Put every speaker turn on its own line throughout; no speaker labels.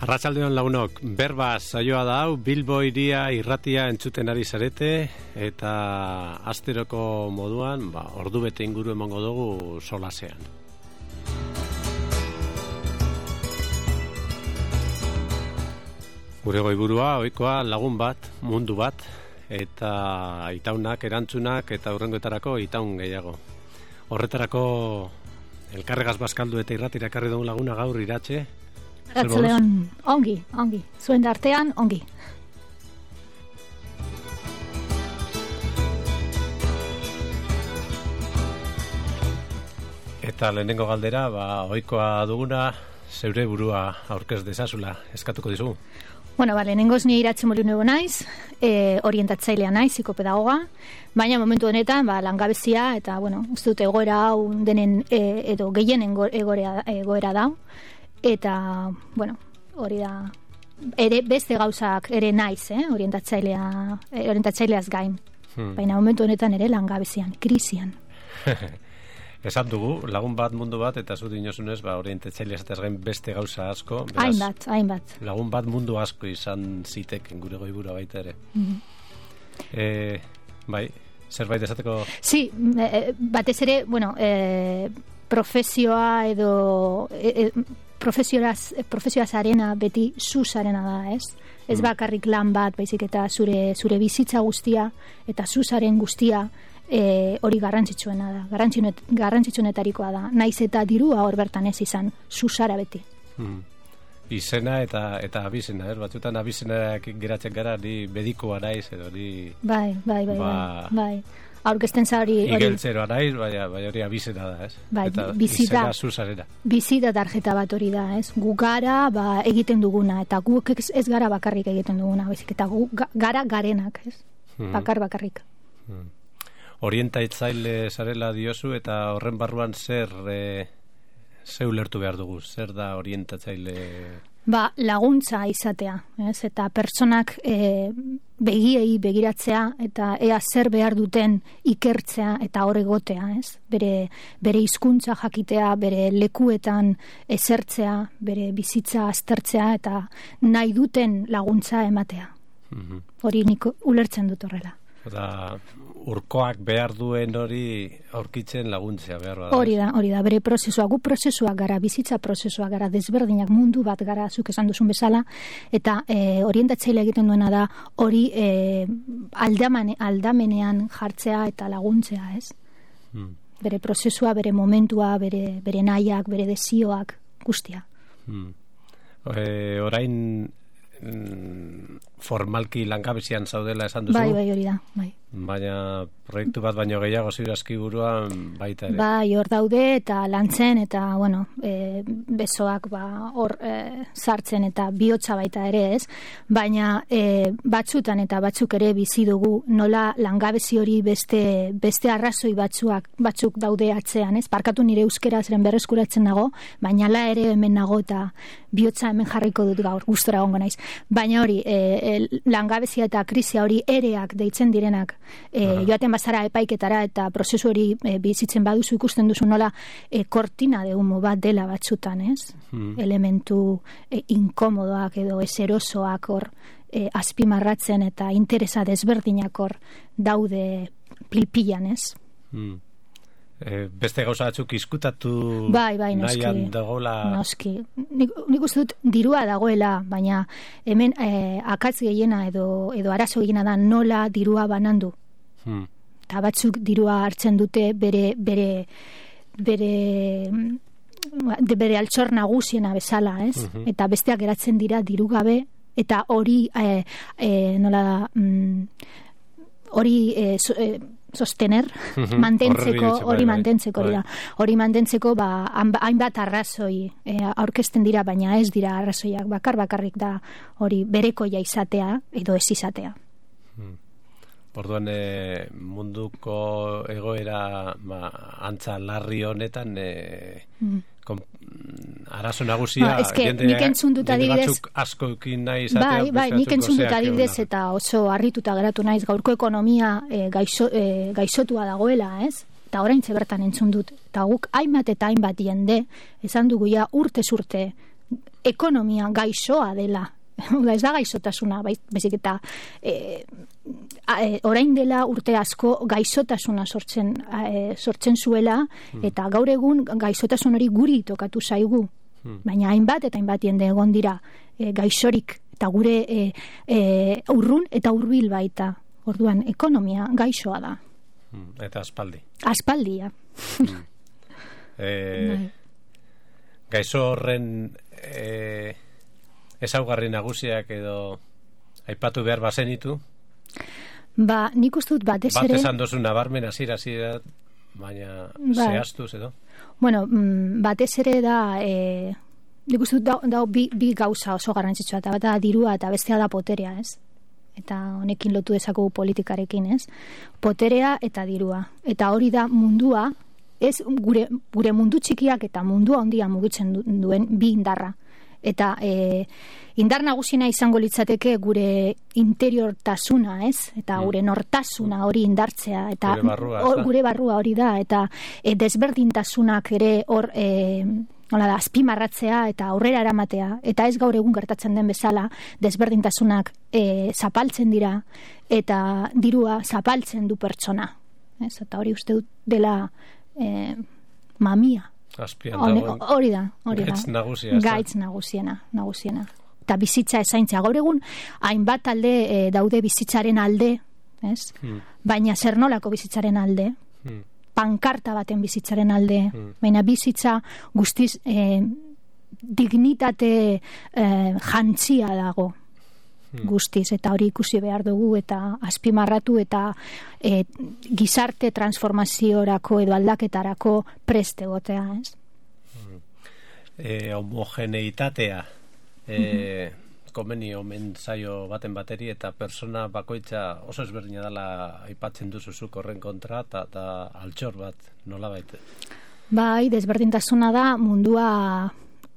Arratsaldeon lagunok, berba saioa da hau, Bilbo hiria irratia entzuten ari zarete, eta asteroko moduan, ordu bete inguru emango dugu solasean. Gure goiburua, ohikoa lagun bat, mundu bat, eta itaunak, erantzunak, eta hurrengoetarako itaun gehiago. Horretarako elkarregaz bazkaldu eta irratira ekarri dugu laguna gaur Iratxe.
Arratsaldeon, ongi, zuen artean, ongi.
Eta lehenengo galdera, ohikoa duguna, zeure burua aurkez dezazula, eskatuko dizugu.
Bueno, lehenengoz ni Iratxe Molinu naiz, orientatzailea naiz, psikopedagoga, baina momentu honetan langabezia eta, uste dut egoera hau denen edo gehienen egoera da. Eta, hori da, ere beste gauzak ere naiz, orientatzaileaz gain. Baina momentu honetan ere langabezian, krisian.
Esan dugu, lagun bat, mundu bat, eta zu dinosunez, orientatzaileaz eta gain beste gauza asko.
Hainbat.
Lagun bat mundu asko izan zitek, gure goibura baita ere. Bai, zerbait esateko?
Si, batez ere, profesioa edo... profesioaz arena beti zuz arena da, ez? Ez bakarrik lan bat, baizik eta zure bizitza guztia eta zuzaren guztia hori garrantzitsuena da, garrantzitsuenetarikoa da, naiz eta dirua hor bertan ez izan, zuzara beti.
Izena eta abizena, batzutan abizenak geratzen gara, ni medikoa naiz edo ni...
Bai. Aurkezten za hori...
Igeltzeroa naiz, bai hori abizena da, ez?
Bai,
izena zuzarena.
Bizida tarjeta bat hori da, ez? Gu gara egiten duguna, eta guk ez gara bakarrik egiten duguna, bezik, eta gu gara garenak, ez? Bakarrik.
Orientatzaile zarela diozu, eta horren barruan zer ulertu behar dugu? Zer da orientatzaile...
laguntza izatea, ez? Eta pertsonak begiei begiratzea eta ea zer behar duten ikertzea eta hor egotea, ez? Bere hizkuntza jakitea, bere lekuetan esertzea, bere bizitza aztertzea eta nahi duten laguntza ematea. Hori nik ulertzen dut horrela.
Eta urkoak behar duen hori aurkitzen laguntzea behar da.
Hori da, bere prozesua, gu prozesua gara, bizitza prozesua gara, desberdinak mundu bat gara, zuk esan duzun bezala, eta orientatzaile egiten duena da hori aldamenean jartzea eta laguntzea, ez? Bere prozesua, bere momentua, bere nahiak, bere desioak, guztia.
Orain formalki langabezian zaudela esan duzu?
Bai, hori da, bai.
Baina proiektu bat baino gehiago ziurazki buruan baita ere.
Bai, hor daude eta lantzen eta, besoak hor sartzen eta bihotza baita ere, ez? Baina batzutan eta batzuk ere bizi dugu nola langabezi hori beste arrazoi batzuk daude atzean, ez? Barkatu nire euskera zeren berreskuratzen dago, baina la ere hemen nago eta bihotza hemen jarriko dut gaur, gustora egongo naiz. Baina hori, langabezia eta krisia hori ereak deitzen direnak, joaten bazara epaiketara eta prozesu hori bizitzen baduzu ikusten duzu nola kortina de humo bat dela batzutan, ez? Elementu inkomodoak edo eserosoak hor azpimarratzen eta interesa desberdinak hor daude pilpilan, ez?
Beste gauza batzuk izkutatu
nahian dagoela... Noski. Nik uste dut dirua dagoela, baina hemen akatz gehiena edo arazo gehiena da nola dirua banandu. Eta batzuk dirua hartzen dute bere altxor nagusiena bezala, ez? Eta besteak geratzen dira diru gabe, eta hori sostener, hori mantentzeko hainbat arrazoi aurkezten dira, baina ez dira arrazoiak, bakarrik da hori berekoia izatea edo ez izatea.
Orduan munduko egoera antza larri honetan arazo nagusia
jende
batzuk askoekin nahi izatea.
Bai, nik entzun dut adibidez eta oso harrituta geratu naiz, gaurko ekonomia gaixotua dagoela, ez? Eta oraintxe bertan entzun dut. Eta guk hainbat eta hainbat jende esan dugu ja urtez urte ekonomia gaixoa dela. Ez da gaixotasuna, baizik eta orain dela urte asko gaixotasuna sortzen zuela, eta gaur egun gaixotasun hori guri tokatu zaigu. Baina hainbat eta hainbat jende egon dira gaixorik, eta gure urrun eta hurbil baita. Orduan, ekonomia gaixoa da.
Eta aspaldi.
Aspaldia.
Gaixo horren ezaugarri nagusiak edo aipatu behar bazenitu?
Nik uste dut batez ere...
Bat esan dozu nabarmen hasiera, baina zehaztuz edo?
Bueno, batez ere da... nik uste dut bi gauza oso garrantzitsua, eta bat da dirua eta bestea da poterea, ez? Eta honekin lotu dezakugu politikarekin, ez? Poterea eta dirua. Eta hori da mundua, ez gure mundu txikiak eta mundua handia mugitzen duen bi indarra. Eta indar nagusiena izango litzateke gure interiortasuna, ez? Eta gure nortasuna hori indartzea. Eta gure barrua hori da. Eta desberdintasunak ere hor... azpimarratzea eta aurrera eramatea, eta ez gaur egun gertatzen den bezala, desberdintasunak zapaltzen dira, eta dirua zapaltzen du pertsona. Eta hori uste dut dela mamia. Hori da. Gaitz nagusiena. Eta bizitza ezaintzea. Gaur egun, hainbat alde daude bizitzaren alde, ez? Baina zer nolako bizitzaren alde? Pankarta baten bizitzaren alde, baina bizitza guztiz dignitate jantzia dago guztiz, eta hori ikusi behar dugu eta azpimarratu eta gizarte transformaziorako edo aldaketarako preste egotea, ez?
Homogeneitatea komeni omen zaio baten bateri, eta persona bakoitza oso ezberdina dela aipatzen duzuzuk horren kontra, eta altxor bat nolabait.
Bai, desberdintasuna da mundua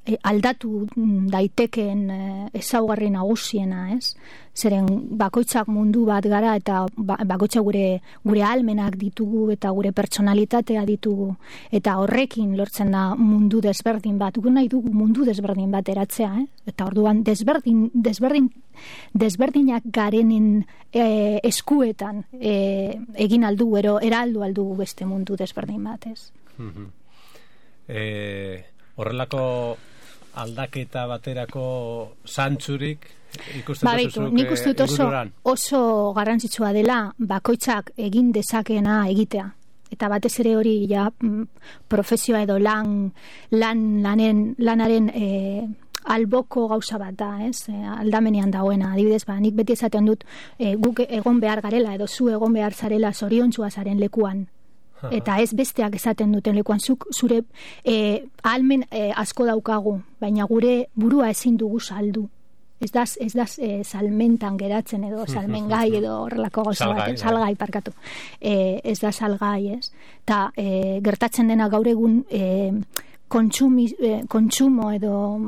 aldatu daitekeen ezaugarri nagusiena, ez? Zeren bakoitzak mundu bat gara, eta bakoitzak gure ahalmenak ditugu eta gure pertsonalitatea ditugu, eta horrekin lortzen da mundu desberdin bat. Gu nahi dugu mundu desberdin bat eratzea, eta orduan desberdinak garenen eskuetan egin aldugu, eraldu aldugu beste mundu desberdin bat, ez?
Horrelako aldaketa baterako zantzurik ikusten duzuzuk
nik uste dut oso garrantzitsua dela bakoitzak egin dezakeena egitea. Eta batez ere hori profesioa edo lanaren alboko gauza bat da, ez? Aldamenean dagoena, adibidez, nik beti esaten dut guk egon behar garela edo zu egon behar zarela zoriontsua zaren lekuan. Eta ez besteak esaten duten lekuan, zure ahalmen asko daukagu, baina gure burua ezin dugu saldu. Ez da salmentan geratzen edo salmengai edo horrelako gauza bat, salgai parkatu. Ez da salgai, ez? Eta gertatzen dena gaur egun kontsumo edo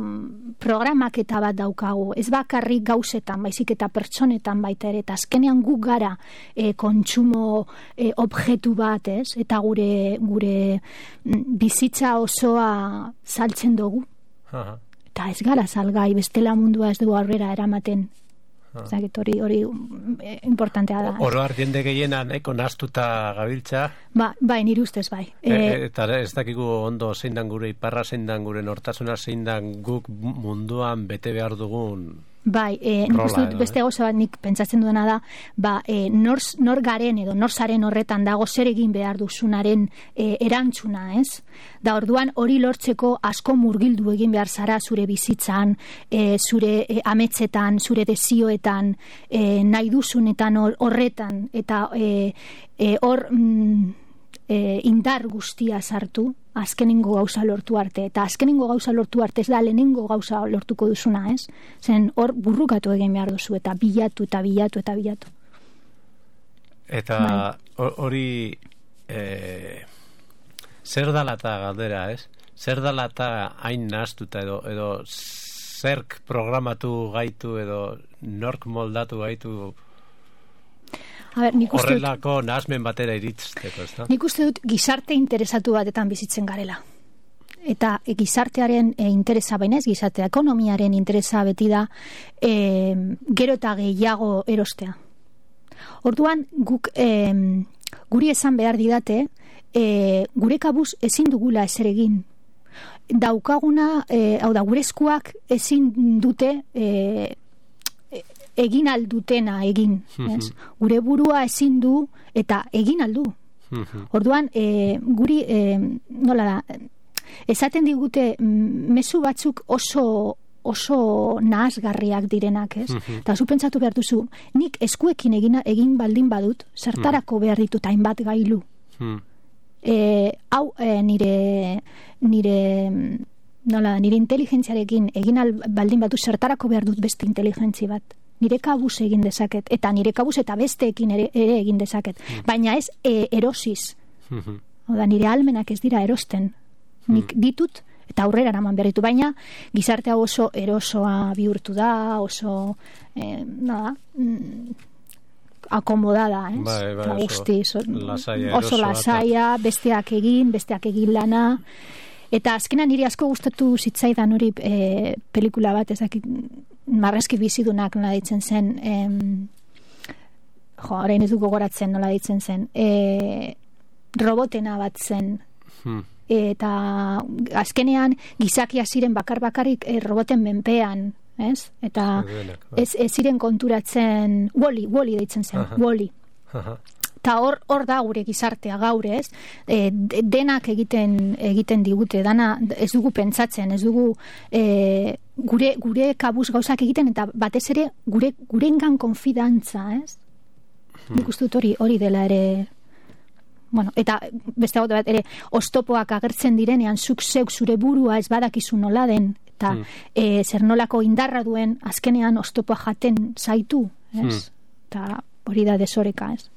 programaketa bat daukagu. Ez bakarrik gauzetan, baizik eta pertsonetan baita ere. Eta azkenean guk gara kontsumo objektu bat, ez? Eta gure bizitza osoa saltzen dugu. Eta ez gara salgai, bestela mundua ez dugu aurrera eramaten. Hori importantea da.
Oro har jende gehiena nahiko nahastuta gabiltza.
Bai, nire ustez bai.
Eta ez dakigu ondo zein dan gure iparra, zein dan gure nortasuna, zein dan guk munduan bete behar dugun.
Bai, nik uste dut beste gauza bat nik pentsatzen duena da, nor garen edo nor zaren horretan dago zer egin behar duzunaren erantzuna, ez? Da orduan hori lortzeko asko murgildu egin behar zara zure bizitzan, zure ametsetan, zure desioetan, nahi duzunetan horretan, eta hor indar guztia sartu, azkenengo gauza lortu arte, eta azkenengo gauza lortu arte ez da lehenengo gauza lortuko duzuna, ez? Zen hor burrukatu egin behar duzu, eta bilatu.
Eta hori zer dalata galdera, ez? Zer dalata hain nahaztuta edo zerk programatu gaitu edo nork moldatu gaitu horrelako nahazmen batera iritzteko, ez da?
Nik uste dut gizarte interesatu batetan bizitzen garela. eta gizartearen interesa bainez, gizartea ekonomiaren interesa beti da gero eta gehiago erostea. Orduan, guri esan behar didate, gure kabuz ezin dugula ezer egin. Daukaguna, hau da, gure eskuak ezin dute egin aldutena egin. Gure burua ezin du eta egin aldu. Orduan, guri, nola da, esaten digute mezu batzuk oso nahasgarriak direnak, ez? Eta zu pentsatu behar duzu, nik eskuekin egin baldin badut, zertarako behar ditut hainbat gailu. Hau nire inteligentziarekin egin baldin badut, zertarako behar dut beste inteligentzi bat. Nire kabuz egin dezaket, eta nire kabuz eta besteekin ere egin dezaket. Baina ez erosiz. Oda, nire almenak ez dira erosten. Nik ditut eta aurrera eraman behar ditu, baina gizartea oso erosoa bihurtu da, oso akomodada, oso lasaia, besteak egin lana. Eta azkenan niri asko gustatu zitzaidan hori pelikula bat, ezakit Marrazki bizidunak nola ditzen zen, orain ez du gogoratzen nola ditzen zen, robotena bat zen, eta azkenean gizakia ziren bakarrik roboten menpean, ez? Eta ez ziren konturatzen, Wall-E deitzen zen, Wall-E. Eta hor da gure gizartea gaur, ez? Denak egiten digute, dana ez dugu pentsatzen, ez dugu gure kabuz gauzak egiten, eta batez ere gurengan konfidantza, ez? Nik uste dut hori dela ere, bueno, eta beste bat ere, oztopoak agertzen direnean, zuk zeuk zure burua ez badakizu nola den, eta zer nolako indarra duen, azkenean oztopoa jaten zaitu, ez? Eta hori da desoreka, ez?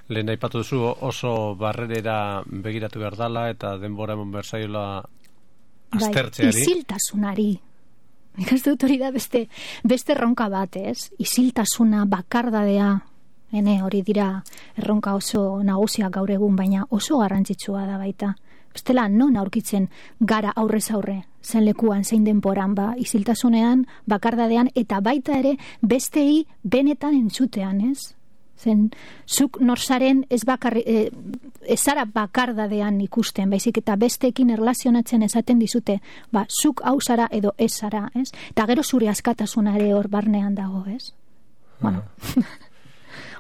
Lehen aipatu duzu oso barrerera begiratu behar dala eta denbora emon berzaiola aztertzeari.
Isiltasunari. Nik ez dut hori da beste erronka bat, ez? Isiltasuna, bakardadea, hori dira erronka oso nagusiak gaur egun, baina oso garrantzitsua da baita. Bestela non aurkitzen gara aurrez aurre, zen lekuan, zein denporan, isiltasunean, bakardadean, eta baita ere bestei benetan entzutean, ez? Zen, zuk norzaren ez zara bakardadean ikusten, baizik eta besteekin erlazionatzen esaten dizute, zuk hau zara edo ez zara, ez? Eta gero zure askatasuna ere hor barnean dago, ez? Bueno,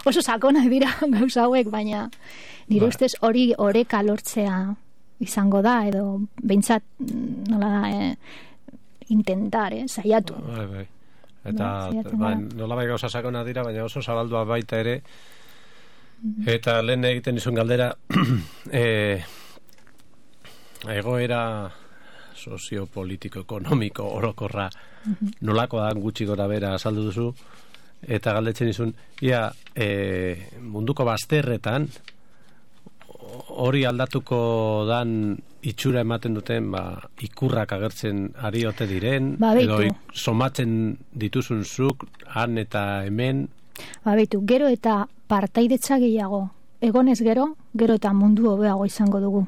oso sakonak dira gauza hauek, baina nire ustez hori oreka lortzea izango da, edo behintzat nola da, intentar, saiatu.
Bai. Eta nola bai gauza sakona dira, baina oso zabaldua baita ere, eta lehen egiten izun galdera, egoera soziopolitiko, ekonomiko, orokorra, nolako da gutxi gora bera azaldu duzu, eta galdetzen izun, munduko bazterretan, hori aldatuko dan itxura ematen duten ikurrak agertzen ari ote diren, edo somatzen dituzun zuk han eta hemen.
Gero eta partaidetza gehiago egonez gero eta mundu hobeago izango dugu.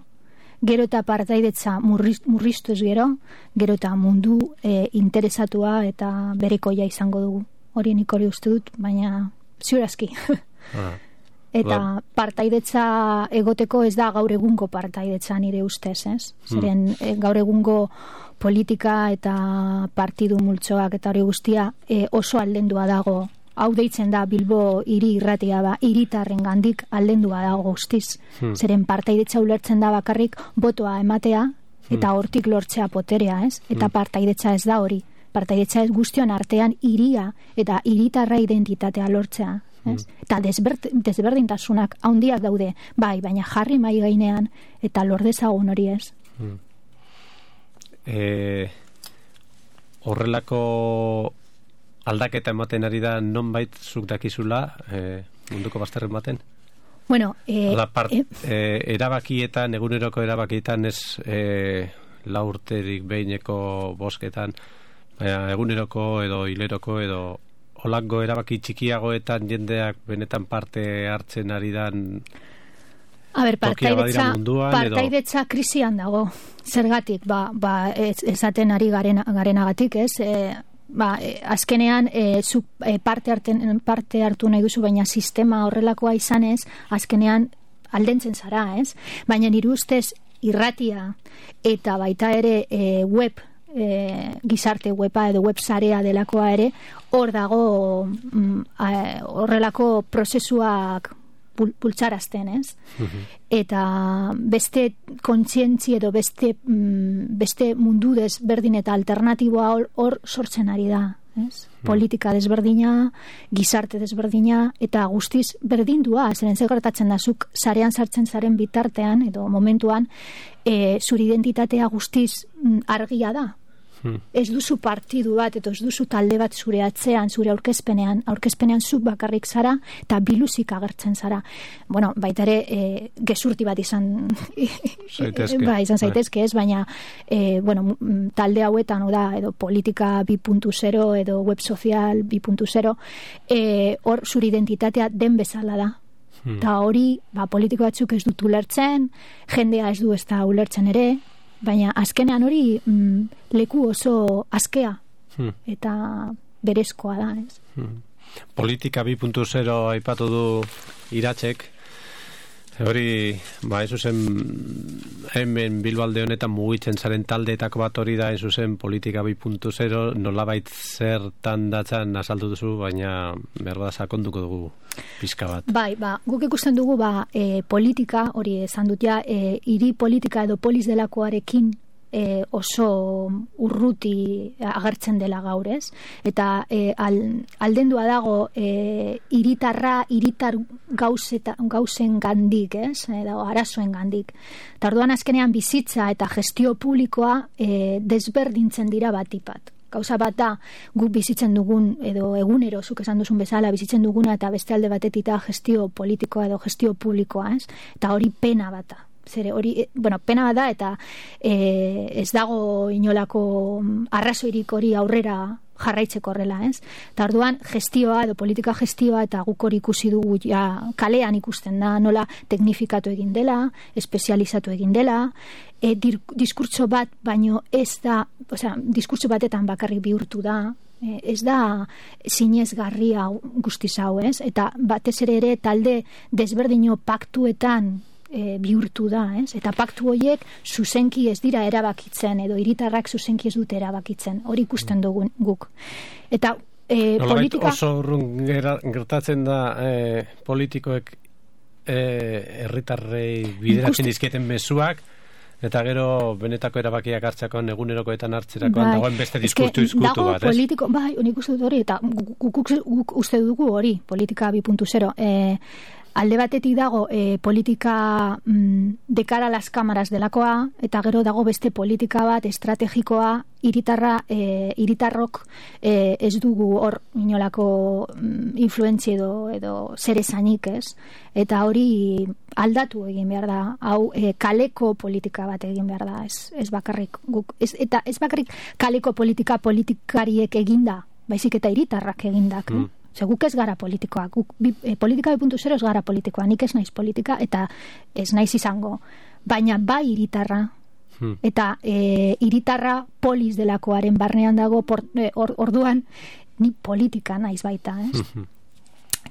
Gero eta partaidetza murriztu ez gero eta mundu interesatua eta berekoia izango dugu. Hori nik hori uste dut, baina ziurazki. Eta partaidetza egoteko ez da gaur egungo partaidetza nire ustez, ez? Zeren gaur egungo politika eta partidu multzoak eta hori guztia oso aldendua dago. Hau deitzen da Bilbo hiri irratia hiritarren gandik aldendua dago guztiz. Zeren partaidetza ulertzen da bakarrik botoa ematea eta hortik lortzea poterea, ez? Eta partaidetza ez da hori. Partaidetza ez guztion artean hiria eta hiritarra identitatea lortzea. Eta desberdintasunak handiak daude, baina jarri mai gainean eta lor dezagun hori, ez?
Horrelako aldaketa ematen ari da nonbait zuk dakizula munduko bazterren baten?
Bueno,
erabakietan, eguneroko erabakietan ez 4 urterik behineko bozketan, eguneroko edo hileroko edo holango erabaki txikiagoetan jendeak benetan parte hartzen ari dan
partaidetza krisian dago. Zergatik, esaten ari garenagatik, ez? Azkenean zu parte hartu nahi duzu, baina sistema horrelakoa izanez, azkenean aldentzen zara, ez? Baina nire ustez irratia eta baita ere web, gizarte weba edo web sarea delakoa ere, hor dago horrelako prozesuak pultsarazten, ez? Eta beste kontzientzi edo beste mundu desberdin eta alternatiboa hor sortzen ari da, ez? Politika desberdina, gizarte desberdina, eta guztiz berdindua, zeren zer gertatzen da, zuk sarean sartzen zaren bitartean edo momentuan, zure identitatea guztiz argia da. Ez duzu partidu bat, eta ez duzu talde bat zure atzean, zure aurkezpenean zuk bakarrik zara, eta biluzik agertzen zara. Bueno, baita ere, gezurti bat izan zaitezke, ez, baina talde hauetan, edo politika 2.0, edo web sozial 2.0, hor zure identitatea den bezala da. Eta hori, politiko batzuk ez dut ulertzen, jendea ez du ez da ulertzen ere, baina azkenean hori leku oso askea eta berezkoa da, ez?
Politika 2.0 aipatu du Iratzek, hori, ez zuzen hemen Bilbalde honetan mugitzen zaren taldeetako bat hori da, ez zuzen politika 2.0, nolabait zertan datzan azaldu duzu, baina berda sakonduko dugu pizka bat.
Guk ikusten dugu politika, hori esan dut ja, hiri politika edo polis delakoarekin oso urruti agertzen dela gaur, ez? Eta aldendua dago hiritar gauzen gandik, ez? Edo arazoen gandik. Eta orduan azkenean bizitza eta gestio publikoa desberdintzen dira batipat. Gauza bat da, guk bizitzen dugun, edo egunero, zuk esan duzun bezala, bizitzen duguna eta beste alde batetita gestio politikoa edo gestio publikoa, ez? Eta hori pena bat da. Zere hori, pena bat da, eta ez dago inolako arrazoirik hori aurrera jarraitzeko horrela, ez? Eta orduan gestioa edo politika gestioa, eta guk hori ikusi dugu kalean ikusten da, nola teknifikatu egin dela, espezializatu egin dela, diskurtso bat, baino ez da, diskurtso batetan bakarrik bihurtu da, ez da zinezgarria guztiz hau, ez? Eta batez ere talde desberdino paktuetan bihurtu da, ez? Eta paktu horiek zuzenki ez dira erabakitzen, edo hiritarrak zuzenki ez dute erabakitzen, hori ikusten dugu guk. Eta politika...
Oso urrun gertatzen da politikoek herritarrei bideratzen dizkieten mezuak, eta gero benetako erabakiak hartzakoan egunerokoetan hartzerakoan dagoen beste diskurtu izkutu bat, ez?
Politiko, nik uste dut hori, eta guk uste dugu hori, politika 2.0, alde batetik dago politika de cara a las cámaras delakoa, eta gero dago beste politika bat estrategikoa hiritarrok ez dugu hor inolako influentzia edo zer esanik, ez? Eta hori aldatu egin behar da, hau kaleko politika bat egin behar da, ez bakarrik guk, eta ez bakarrik kaleko politikariek eginda, baizik eta hiritarrak egindak, guk ez gara politikoak, politika 2.0 ez gara politikoa, nik ez naiz politika eta ez naiz izango, baina bai hiritarra, eta hiritarra polis delakoaren barnean dago, orduan ni politika naiz baita, ez?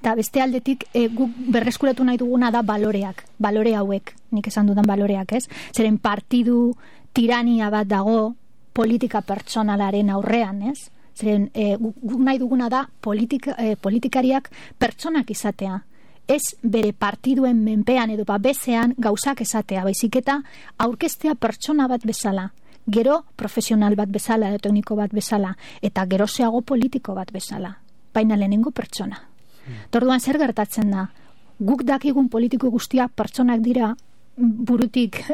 Eta beste aldetik guk berreskuratu nahi duguna da balore hauek, nik esan dudan baloreak, ez? Zeren partidu tirania bat dago politika pertsonalaren aurrean, ez? Zeren guk nahi duguna da politikariak pertsonak izatea. Ez bere partiduen menpean edo bezean gauzak esatea, baizik eta aurkeztea pertsona bat bezala, gero profesional bat bezala, edo tekniko bat bezala, eta gerozeago politiko bat bezala, baina lehenengo pertsona. Orduan zer gertatzen da? Guk dakigun politiko guztiak pertsonak dira, burutik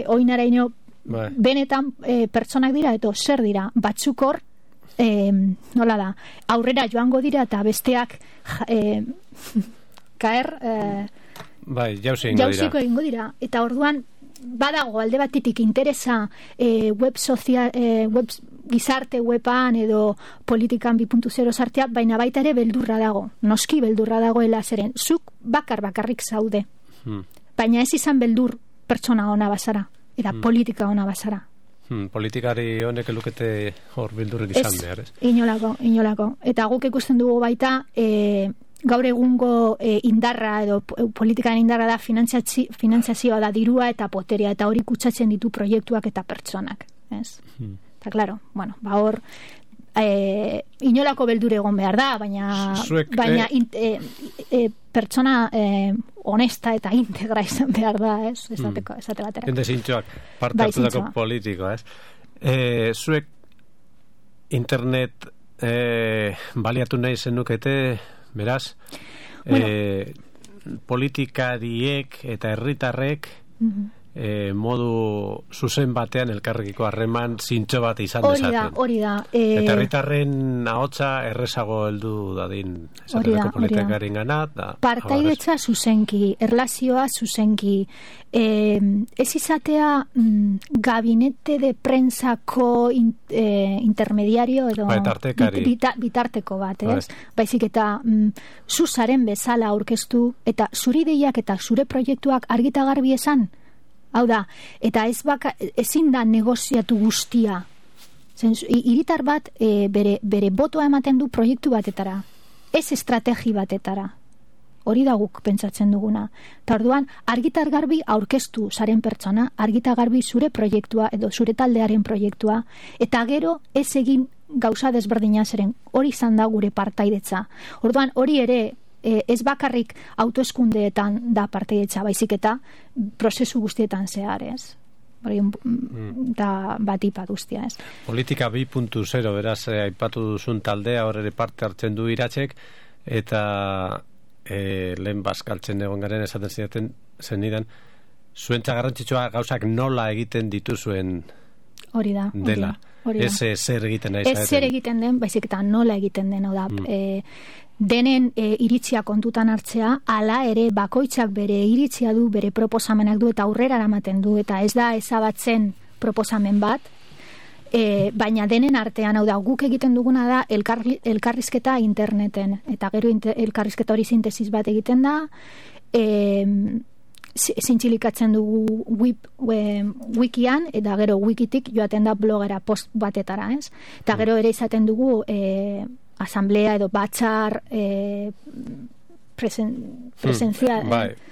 oinaraino benetan pertsonak dira, eta zer dira, batzuk hor, nola da, aurrera joango dira, eta besteak jauziko egingo dira. Eta orduan, badago alde batetik interesa web gizarte weban edo politikan 2.0 sartia, baina baita ere beldurra dago. Noski beldurra dagoela zeren. Zuk bakarrik zaude. Baina ez izan beldur pertsona ona bazara, eta politika ona bazara.
Politikari honek elukete hor bildurrik izan behar, ez?
Inolako. Eta guk ikusten dugu baita, gaur egungo indarra edo politikan indarra da finantzazioa da, dirua eta poteria, eta hori kutsatzen ditu proiektuak eta pertsonak, ez? Eta claro, bueno, hor inolako beldur egon behar da, baina pertsona honesta eta integra izan behar da, ez? Esate batera.
Jende zintxoak, parte hartutako politikoa, ez? Zuek internet baliatu nahi zenukete, beraz, politikariek eta herritarrek modu zuzen batean elkarrekiko harreman zintxo bat izan dezaten.
Hori da.
Eta herritarren ahotsa errezago heldu dadin esateko politikarien gana.
Partaidetza zuzenki, erlazioa zuzenki, ez izatea gabinete de prensako intermediario edo bitarteko bat, ez? Baizik eta zuzaren bezala aurkeztu eta zuri ideiak eta zure proiektuak argita garbi esan. Hau da, eta ezin da negoziatu guztia. Hiritar bat bere botoa ematen du proiektu batetara, ez estrategi batetara. Hori da guk pentsatzen duguna. Eta orduan, argitar garbi aurkeztu zaren pertsona, argitar garbi zure proiektua edo zure taldearen proiektua, eta gero ez egin gauza desberdina zeren. Hori izan da gure partaidetza. Orduan, hori ere ez bakarrik autoeskundeetan da partaidetza, baizik eta prozesu guztietan zehar, ez? Hori da batipa guztia, ez?
Politika 2.0, beraz, aipatu duzun taldea, hor ere parte hartzen du Iratzek, eta lehen bazkaltzen egon garen esaten zidaten zenidan, zuentza garrantzitsua gauzak nola egiten dituzuen dela. Ez zer egiten nahi zaeten.
Ez zer egiten den, baizik eta nola egiten den, da. Denen iritzia kontutan hartzea, hala ere bakoitzak bere iritzia du, bere proposamenak du eta aurrera eramaten du, eta ez da ezabatzen proposamen bat, baina denen artean, hau da, guk egiten duguna da elkarrizketa interneten, eta gero elkarrizketa hori sintesis bat egiten da, zintxilikatzen dugu wikian, eta gero wikitik joaten da blogera post batetara, ez? Eta gero ere izaten dugu asamblea edo batzar presentzia.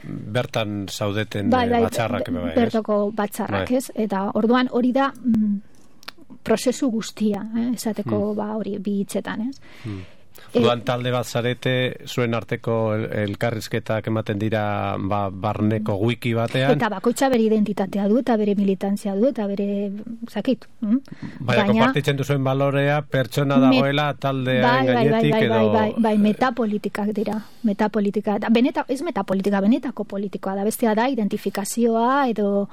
Bertan zaudeten batzarrak.
Bertoko batzarrak, ez? Eta orduan hori da prozesu guztia, esateko hori bi hitzetan, ez?
Orduan talde bat zarete, zuen arteko elkarrizketak ematen dira barneko wiki batean.
Eta bakoitza bere identitatea du, eta bere militantzia du, eta bere zakit.
Baina konpartitzen duzuen balorea, pertsona dagoela taldearen gainetik edo...
Bai, metapolitikak dira. Metapolitika. Ez metapolitika, benetako politikoa da. Bestea da, identifikazioa edo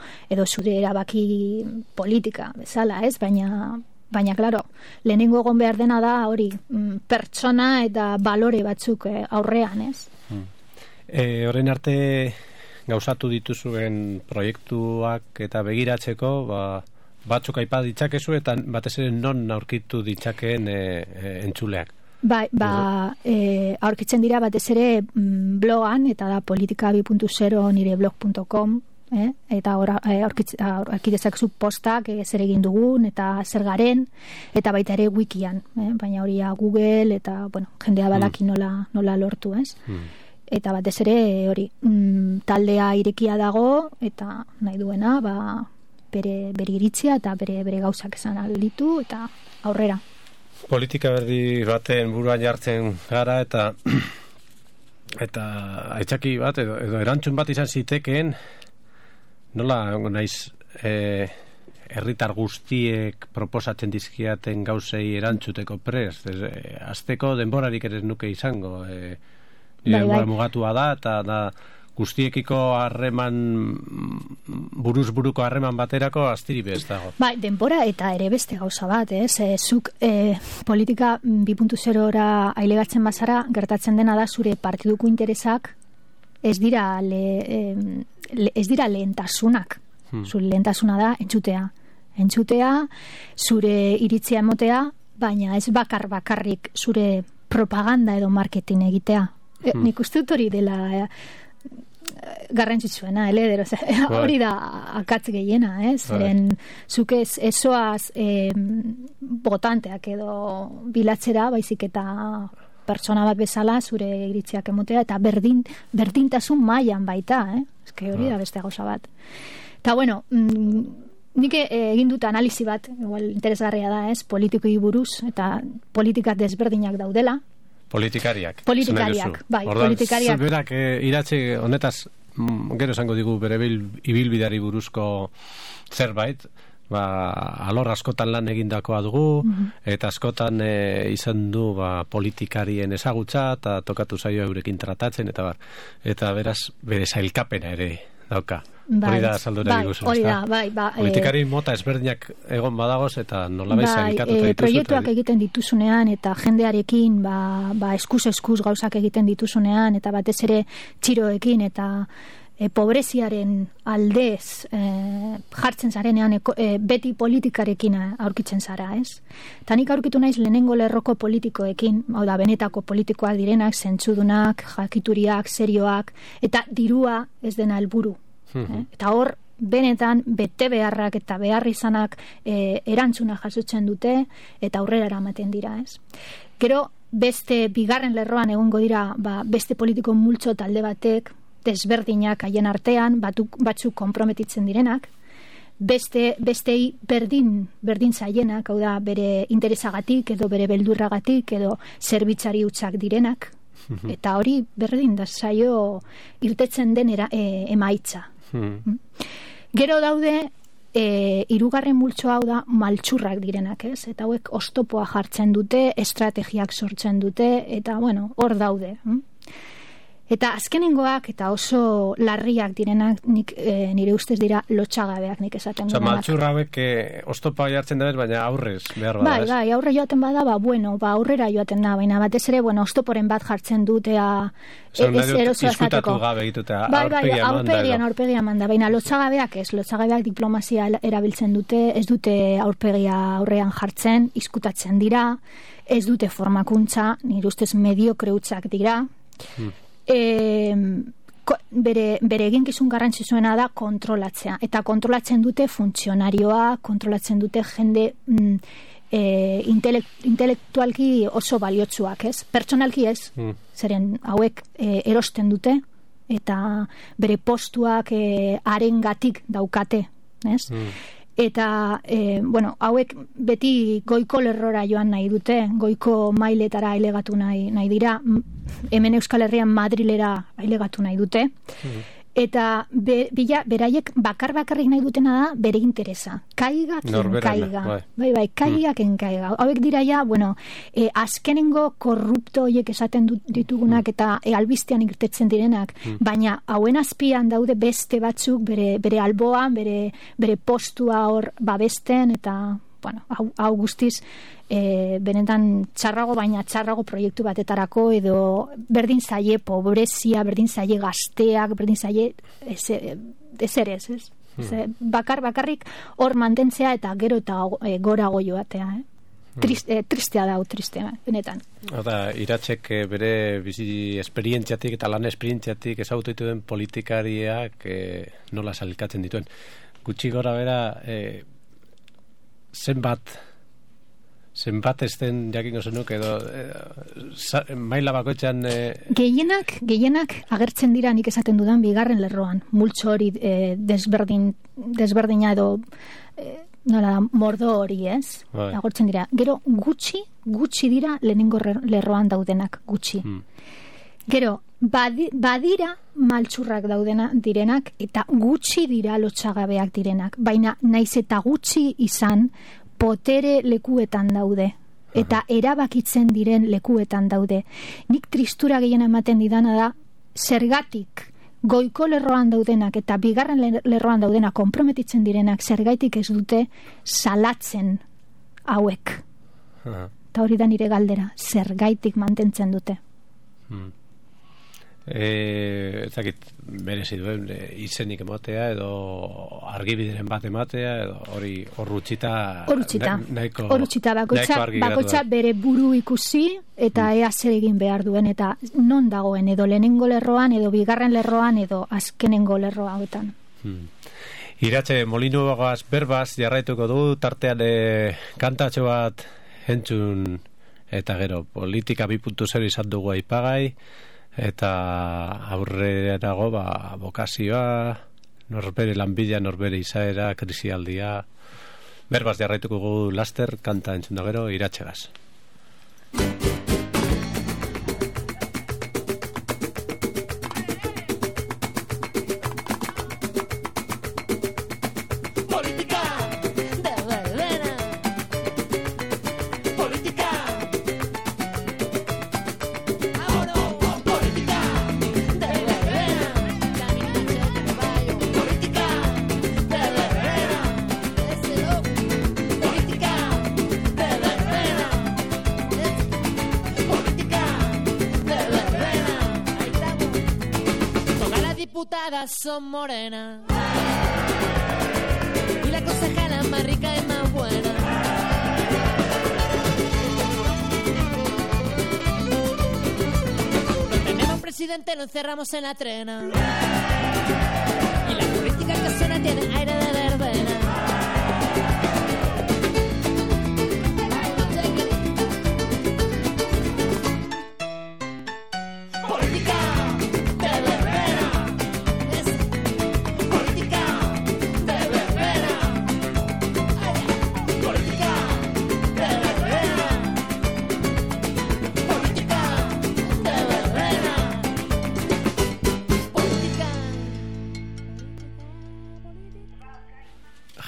zure erabaki politika, bezala, ez? Baina, klaro, lehenengo egon behar dena da hori, pertsona eta balore batzuk aurrean, ez?
Horren arte gauzatu dituzuen proiektuak eta begiratzeko, batzuk aipa ditzakezu eta batez ere non aurkitu ditzakeen entzuleak?
Aurkitzen dira batez ere blogan, eta da politika 2.0 nire blog.com, eta aurkidezak zu postak zer egin dugun eta zer garen, eta baita ere wikian, baina hori Google eta jendea badaki nola lortu, ez? Eta batez ere hori taldea irekia dago eta nahi duena bere iritzia eta bere gauzak esan alditu eta aurrera.
Politika berdi baten buruan jartzen gara eta aitzaki bat edo erantzun bat izan zitekeen, nola naiz herritar guztiek proposatzen dizkiaten gauzei erantzuteko prest, azteko denborarik ere nuke izango, denbora mugatua da, eta da guztiekiko harreman buruz-buruko harreman baterako astiri bez dago.
Denbora eta ere beste gauza bat, zuk politika 2.0ra ailegatzen bazara, gertatzen dena da zure partiduko interesak ez dira lehentasunak. Zure lehentasuna da entzutea. entzutea, zure iritzia emotea, baina ez bakarrik zure propaganda edo marketing egitea. Nik uste dut hori dela garrantzitsuena, hori da akatz gehiena, zeren zuk ezoaz botanteak edo bilatzera, baizik eta pertsona bat bezala zure iritziak emotea, eta berdintasun mailan baita, hori da beste gauza bat. Eta bueno, nik egin dut analizi bat, igual interesgarria da, politikoi buruz, eta politika desberdinak daudela.
Politikariak,
bai, politikariak.
Berak iratzi honetaz, gero esango digu bere ibilbideari buruzko zerbait, alor askotan lan egindakoa dugu, eta askotan izan du politikarien ezagutza, eta tokatu zaio eurekin tratatzen, eta beraz, bere sailkapena ere dauka. Hori da saldura diguzu, politikari mota ezberdinak egon badagoz eta nolabait sailkatuta dituzu.
Proiektuak egiten dituzunean eta jendearekin eskuz gauzak egiten dituzunean eta batez ere txiroekin eta pobreziaren aldez jartzen zarenean beti politikarekin aurkitzen zara, ez? Eta nik aurkitu naiz lehenengo lerroko politikoekin, hau da, benetako politikoak direnak, zentzudunak, jakituriak, serioak, eta dirua ez dena helburu. Eta hor, benetan, bete beharrak eta behar izanak erantzuna jasotzen dute eta aurrera eramaten dira, ez? Gero, beste bigarren lerroan egongo dira, beste politiko multzo talde batek, desberdinak haien artean, batzuk konprometitzen direnak, bestei berdin zaienak, hau da, bere interesagatik edo bere beldurragatik edo zerbitzari hutsak direnak, eta hori berdin da zaio irtetzen den emaitza. Gero daude hirugarren multzo hau da maltsurrak direnak, ez? Eta hauek oztopoa jartzen dute, estrategiak sortzen dute, eta bueno, hor daude. Eta azkenengoak eta oso larriak direnak nire ustez dira lotxagabeak nik esaten duenak.
Maltsurra hauek oztopa jartzen da baina aurrez behar bada.
Bai, aurre joaten bada, aurrera joaten da, baina batez ere, oztoporen bat jartzen dutea erosoa zateko.
Gabe egitutea, aurpegia
manda. Baina lotxagabeak ez, lotxagabeak diplomazia erabiltzen dute, ez dute aurpegia aurrean jartzen, izkutatzen dira, ez dute formakuntza, nire ustez mediokre hutsak dira, bere eginkizun garrantzitsuena da kontrolatzea, eta kontrolatzen dute funtzionarioa, kontrolatzen dute jende intelektualki oso baliotsuak, ez? Pertsonalki ez, zeren hauek erosten dute eta bere postuak harengatik daukate, ez? Eta, hauek beti goiko lerrora joan nahi dute, goiko mailetara ailegatu nahi dira, hemen Euskal Herrian Madrilera ailegatu nahi dute, eta beraiek bakarrik nahi dutena da bere interesa. Kaiga, kaiga. Bai, kaiga, kaiga. Hauek dira ja, azkenengo korrupto horiek esaten ditugunak eta albistean irtetzen direnak, baina hauen azpian daude beste batzuk bere alboan, bere postua hor babesten, eta hau guztiz benetan txarrago proiektu batetarako edo berdin zaie pobrezia, berdin zaie gazteak, berdin zaie ez. Bakarrik hor mantentzea eta gero eta gorago joatea, tristea da, benetan.
Iratzek bere bizi esperientziatik eta lan esperientziatik ezagutu dituen politikariak nola sailkatzen dituen. Gutxi gora bera zenbat ez den jakingo zenuk edo maila bakoitzan
gehienak agertzen dira nik esaten dudan bigarren lerroan, multzo hori desberdina edo mordo hori, ez? Agortzen dira. Gero gutxi dira lehenengo lerroan daudenak, gutxi. Gero badira maltsurrak direnak eta gutxi dira lotxagabeak direnak, baina naiz eta gutxi izan potere lekuetan daude eta erabakitzen diren lekuetan daude. Nik tristura gehien ematen didana da zergatik goiko lerroan daudenak eta bigarren lerroan daudenak konprometitzen direnak zergaitik ez dute salatzen hauek. Eta hori da nire galdera, zergaitik mantentzen dute.
Ezakit merezi duen izenik ematea edo argibideren bat ematea edo hor utzita
bakoitza bere buru ikusi eta ea zer egin behar duen eta non dagoen edo lehenengo lerroan edo bigarren lerroan edo azkenengo lerroa hauetan.
Iratxe, Molinuagaz berbaz jarraituko du tartean kantatxo bat entzun eta gero politika 2.0 izan dugu aipagai eta aurrerago bokazioa, norbere lanbila, norbere izaera, krisialdia. Berbaz jarraituko dugu laster kanta entzun da gero Iratxegaz.
Son morena y la concejala más rica y más buena. No tenemos presidente, lo encerramos en la trena y la política que suena tiene aire de verbena.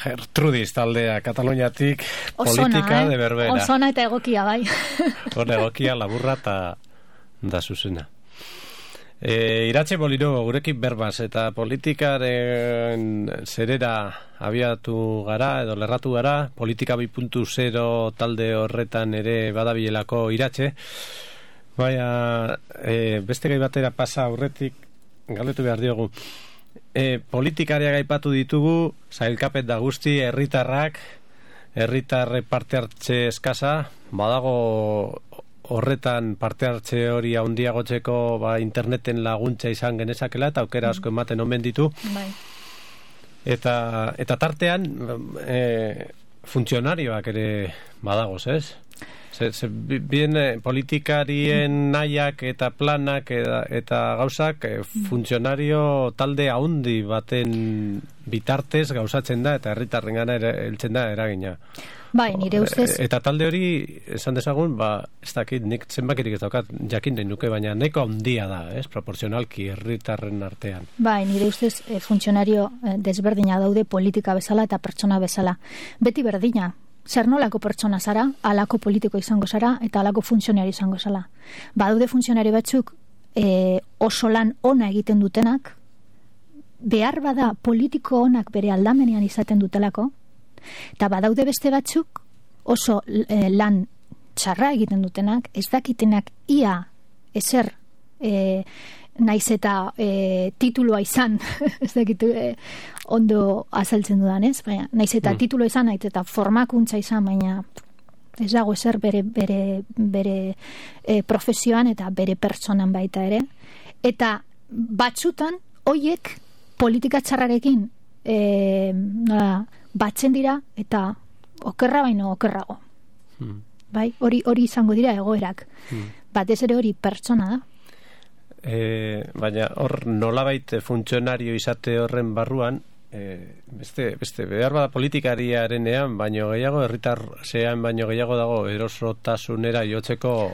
Gertrudis taldea Kataluniatik politika de berbera.
Osona eta egokia bai.
Hor egokia laburra eta da zuzena. Iratxe Molino, gurekin berbaz eta politikaren zerera abiatu gara edo lerratu gara, politika 2.0 talde horretan ere badabilelako Iratxe. Baina beste gai batera pasa aurretik galdetu behar diogu. Politikariak aipatu ditugu, sailkapen da guzti, herritarre parte hartze eskasa, badago horretan parte hartze hori handiagotzeko interneten laguntza izan genezakela eta aukera asko ematen omen ditu.
Bai.
Eta tartean funtzionarioak ere badagoz, ez? Bien politikarien nahiak eta planak eta gauzak funtzionario talde haundi baten bitartez gauzatzen da eta herritarrengana heltzen da eragina.
Bai, nire ustez.
Eta talde hori, esan dezagun, ez dakit, nik zenbakirik ez daukat jakin nahi nuke, baina neko handia da, proporzionalki herritarren artean.
Bai, nire ustez funtzionario desberdina daude politika bezala eta pertsona bezala. Beti berdina. Zer nolako pertsona zara, alako politiko izango zara eta alako funtzionario izango zara. Badaude funtzionario batzuk oso lan ona egiten dutenak, behar bada politiko onak bere aldamenean izaten dutelako, eta badaude beste batzuk oso lan txarra egiten dutenak, ez dakitenak ia ezer naiz eta tituloa izan, ez dakitu ondo azaltzen dudan, ez? Baina, naiz eta tituloa izan, naiz eta formakuntza izan, baina ez dago ezer bere profesioan eta bere pertsonan baita ere. Eta batzutan, hoiek politika txarrarekin batzen dira eta okerra baino okerrago. Bai, hori izango dira egoerak. Batez ere hori pertsona da.
Baina hor nolabait funtzionario izate horren barruan beste behar bada politikariarenean baino gehiago, herritar zean baino gehiago dago erosotasunera jotzeko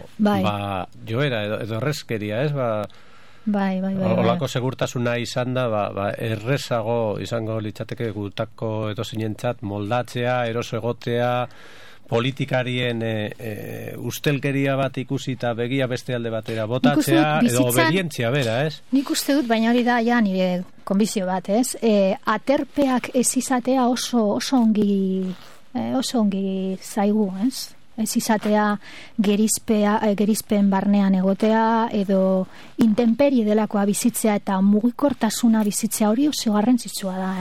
joera edo errezkeria, ez?
Bai.
Olako segurtasuna izan da errezago izango litzateke gutako edo zinentzat moldatzea, eroso egotea, politikarien ustelkeria bat ikusi eta begia beste alde batera botatzea edo obedientzia bera, ez?
Nik uste dut, baina hori da ja nire konbizio bat, ez? Aterpeak ez izatea oso ongi zaigu, ez? ez izatea gerizpen barnean egotea, edo intemperie delakoa bizitzea eta mugikortasuna bizitzea, hori oso garrantzitsua da,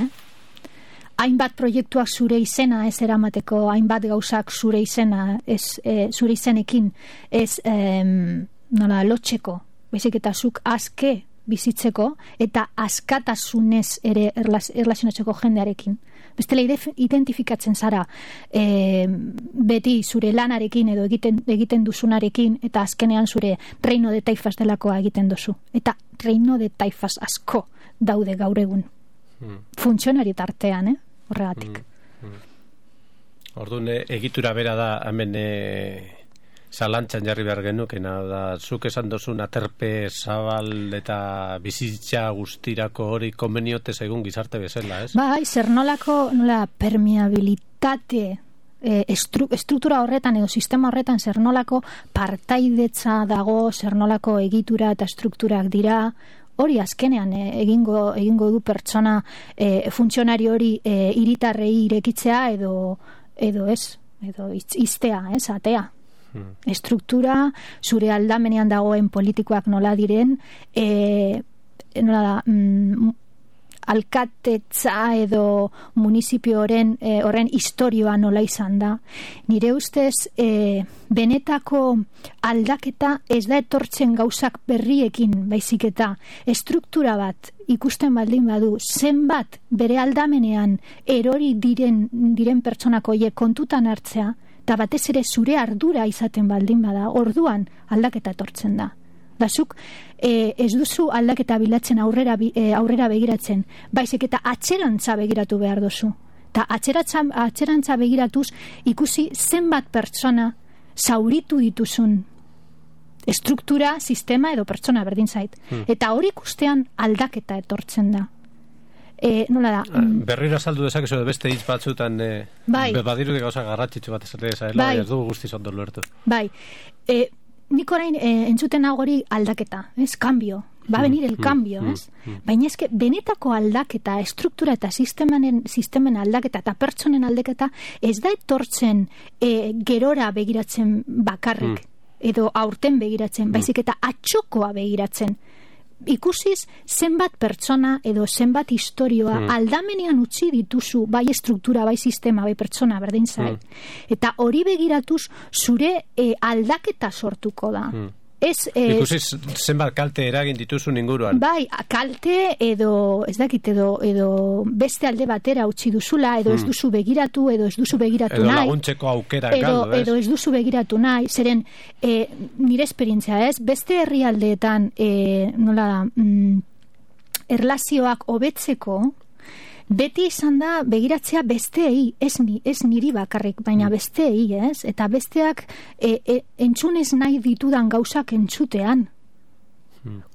hainbat proiektuak zure izena ez eramateko, hainbat gauzak zure izena zure izenekin ez nola lotxeko, baizik eta zuk aske bizitzeko eta askatasunez ere erlazionatzeko jendearekin. Bestela identifikatzen zara beti zure lanarekin edo egiten duzunarekin eta azkenean zure reino de taifas delakoa egiten duzu. Eta reino de taifas asko daude gaur egun. Funtzionari tartean, horregatik.
Orduan, egitura bera da hemen zalantzan jarri behar genukena, da zuk esan dozun aterpe zabal eta bizitza guztirako hori konbeniote egun gizarte bezala, ez?
Bai, zer nolako permeabilitate estruktura horretan edo sistema horretan zer nolako partaidetza dago, zer nolako egitura eta estrukturak dira, hori azkenean egingo du pertsona funtzionari hori hiritarrei irekitzea edo iztea, atea. Estruktura, zure aldamenean dagoen politikoak nola diren, nola da, alkatetza edo municipio horren historioa nola izan da. Nire ustez, benetako aldaketa ez da etortzen gauzak berriekin, baizik eta estruktura bat ikusten baldin badu, zenbat bere aldamenean erori diren pertsonako horiek kontutan hartzea, eta batez ere zure ardura izaten baldin bada, orduan aldaketa etortzen da. Zuk ez duzu aldaketa bilatzen aurrera begiratzen, baizik eta atzerantza begiratu behar duzu. Eta atzerantza begiratuz ikusi zenbat pertsona zauritu dituzun estruktura, sistema edo pertsona berdin zait. Eta hori ikustean aldaketa etortzen da. Nola da?
Berriro azaldu dezakezu beste hitz batzutan badirudik gauza garratxitzu bat esatea, ez dugu guztiz ondo lortu.
Bai, nik orain entzuten hori aldaketa, ez? Cambio, va a venir el cambio, ez? Baina eske benetako aldaketa, estruktura eta sistemen aldaketa eta pertsonen aldaketa ez da etortzen gerora begiratzen bakarrik edo aurten begiratzen, baizik eta atxokoa begiratzen. Ikusiz zenbat pertsona edo zenbat historioa aldamenean utzi dituzu, bai estruktura, bai sistema, bai pertsona berdin zait. Eta hori begiratuz zure aldaketa sortuko da.
Ikusiz zenbat kalte eragin dituzun inguruan.
Bai, kalte edo ez dakit edo beste alde batera utzi duzula, edo ez duzu begiratu, edo ez duzu begiratu nahi.
Edo laguntzeko aukera galdu, ez?
Edo ez duzu begiratu nahi, zeren nire esperientzia, ez? Beste herrialdeetan nola da, erlazioak hobetzeko beti izan da begiratzea besteei, ez niri bakarrik, baina besteei, ez? Eta besteak entzunez nahi ditudan gauzak entzutean.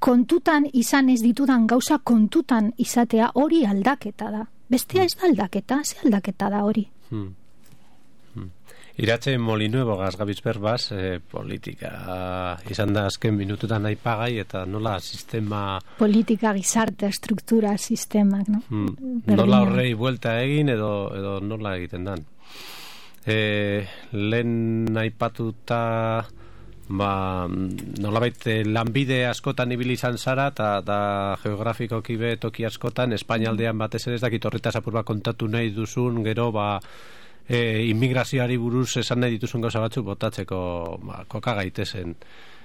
Kontutan izan ez ditudan gauzak kontutan izatea hori aldaketa da. Bestea ez da aldaketa, ze aldaketa da hori.
Iratxe Molinuevo gazgabiz berbaz, politika izan da azken minututan aipagai eta nola sistema...
Politika, gizarte, estruktura, sistemak, no?
Nola horrei buelta egin edo nola egiten dan. Lehen aipatuta nolabait lanbide askotan ibili izan zara eta geografikoki be toki askotan Espainialdean batez ere ez dakit horretaz apur bat kontatu nahi duzun, gero immigrazioari buruz esan nahi dituzun gauza batzu botatzeko koka gaitezen.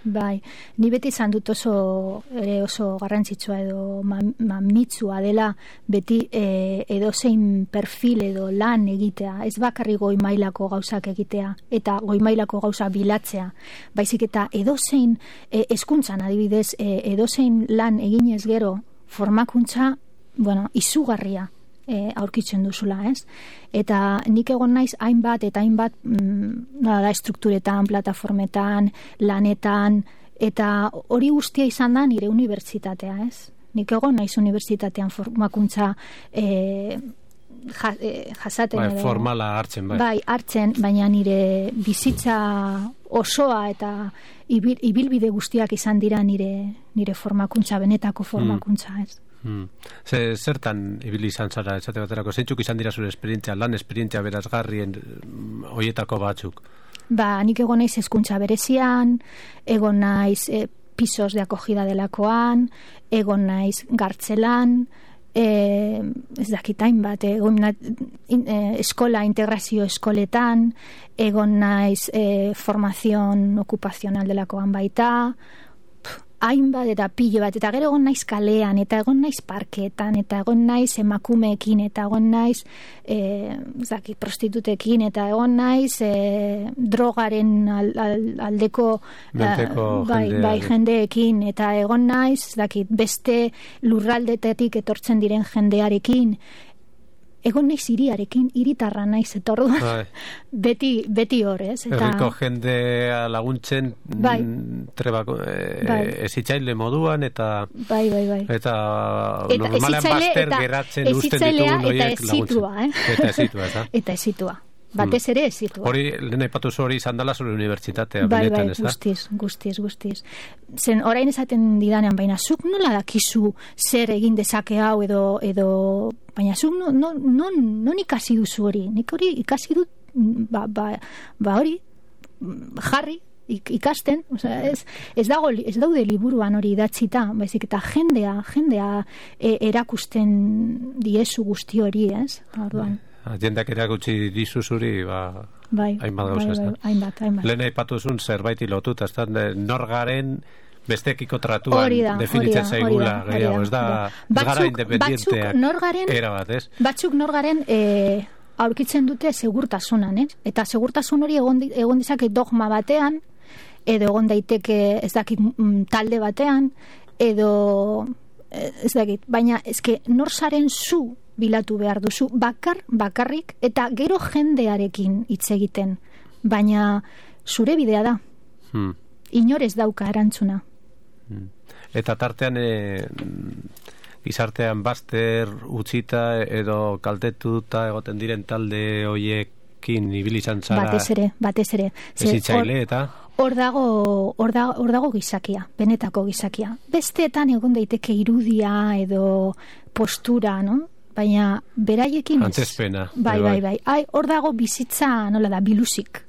Bai, ni beti izan dut oso garrantzitsua edo mamitsua dela beti edozein perfil edo lan egitea, ez bakarri goi mailako gauzak egitea eta goi mailako gauza bilatzea, baizik eta edozein hezkuntzan adibidez, edozein lan eginez gero formakuntza, izugarria aurkitzen duzula, ez? Eta nik egon naiz hainbat estrukturetan, plataformetan, lanetan, eta hori guztia izan da nire unibertsitatea, ez? Nik egon naiz unibertsitatean formakuntza jasaten.
Formala hartzen, bai.
Bai, hartzen, baina nire bizitza osoa eta ibilbide guztiak izan dira nire formakuntza, benetako formakuntza, ez?
Zertan ibili izan zara esate baterako, zeintzuk izan dira zure esperientzia, lan esperientzia berazgarrien hoietako batzuk?
nik egon naiz hezkuntza berezian, egon naiz pisos de acogida delakoan, egon naiz gartzelan, ez dakitain bat, eskola, integrazio eskoletan, egon naiz formazion okupazional delakoan baita, hainbat eta pilo bat, eta gero egon naiz kalean, eta egon naiz parketan, eta egon naiz emakumeekin, eta egon naiz prostitutekin, eta egon naiz drogaren aldeko jendeekin, eta egon naiz beste lurraldetetik etortzen diren jendearekin, egon naiz hiriarekin, hiritarra naiz, eta orduan beti hor, ez?
Herriko jendea laguntzen trebako ezitzaile moduan, eta eta normalean bazter geratzen usten ditugun horiek laguntzen. Eta ezitua, eta
ezitua. Batez ere ezitua.
Hori, lehen aipatu hori izan dela zure unibertsitatea, benetan, ez da?
Guztiz. Zen, orain esaten didanean, baina zuk nola dakizu zer egin dezake hau edo baina zuk non ikasi duzu hori? Nik hori ikasi dut, hori, jarri, ikasten, ez daude liburuan hori idatzita, baizik eta jendea erakusten diezu guzti hori, ez? Orduan.
Jendeak erakutsi dizu zuri, hainbat gauza, ez da?
Hainbat.
Lehen aipatuzun zerbait lotuta, ez da, norgaren bestekiko tratuan definitzen zaigula, gehiago, ez da, gara independienteak erabat, ez?
Batzuk norgaren aurkitzen dute segurtasunan, ez? Eta segurtasun hori egon dizake dogma batean, edo egon daiteke, ez dakit, talde batean, edo, ez dakit, baina, ezke, norzaren zu bilatu behar duzu, bakarrik, eta gero jendearekin hitz egiten, baina zure bidea da. Inorez dauka erantzuna.
Eta tartean gizartean bazter utzita edo kaltetuta egoten diren talde hoiekin ibilizan zara.
Batez ere.
Ezitzaile eta
hor dago gizakia, benetako gizakia. Besteetan egon daiteke irudia edo postura, no? Baina beraiekin ez.
Antzezpena.
Bai. Hor dago bizitza, nola da, biluzik.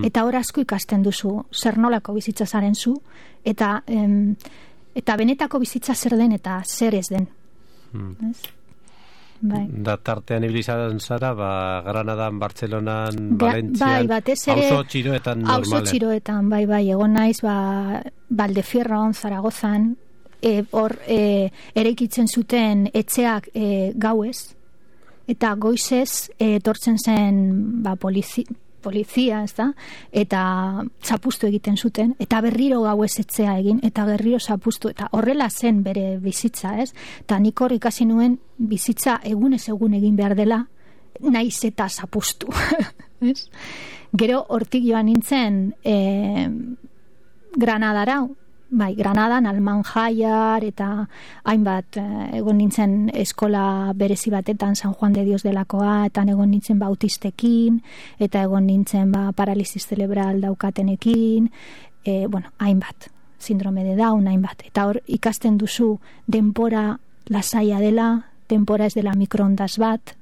Eta hor asko ikasten duzu, zer nolako bizitza zaren zu, eta benetako bizitza zer den eta zer ez den. Bai.
Da tartean ibilizan zara, Granadan, Bartzelonan, Valentzian, auzo txiroetan normalen.
Auzo txiroetan, bai, egon naiz, Valdefierron, Zaragozan, hor eraikitzen zuten etxeak gauez, eta goizez etortzen zen polizia, ez da, eta zapustu egiten zuten, eta berriro gauez etxea egin, eta berriro zapustu, eta horrela zen bere bizitza, ez? Eta nik hor ikasi nuen bizitza egunez egun egin behar dela, naiz eta zapustu. Gero hortik joan nintzen Granadara, Granadan, Almanjaiar, eta hainbat egon nintzen eskola berezi batetan, San Juan de Dios delakoa, eta egon nintzen autistekin, eta egon nintzen paralisis cerebral daukatenekin, hainbat, sindrome de Down, hainbat. Eta hor ikasten duzu denpora lasaia dela, denpora ez dela mikroondas bat,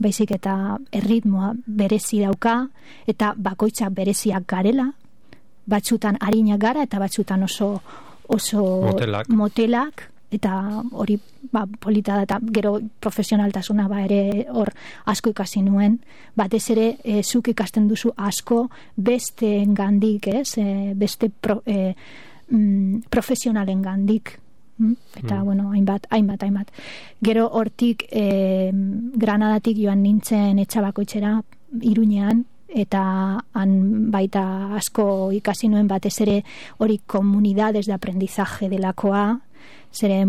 baizik eta erritmoa berezi dauka, eta bakoitzak bereziak garela, batzutan harinak gara eta batzutan oso motelak, eta hori polita da, eta gero profesionaltasuna ere hor asko ikasi nuen, batez ere zuk ikasten duzu asko beste gandik, beste profesionalen gandik, eta hainbat. Gero hortik Granadatik joan nintzen etxabakoitzera Iruñean, eta han baita asko ikasi nuen, batez ere hori comunidades de aprendizaje delakoa, zeren,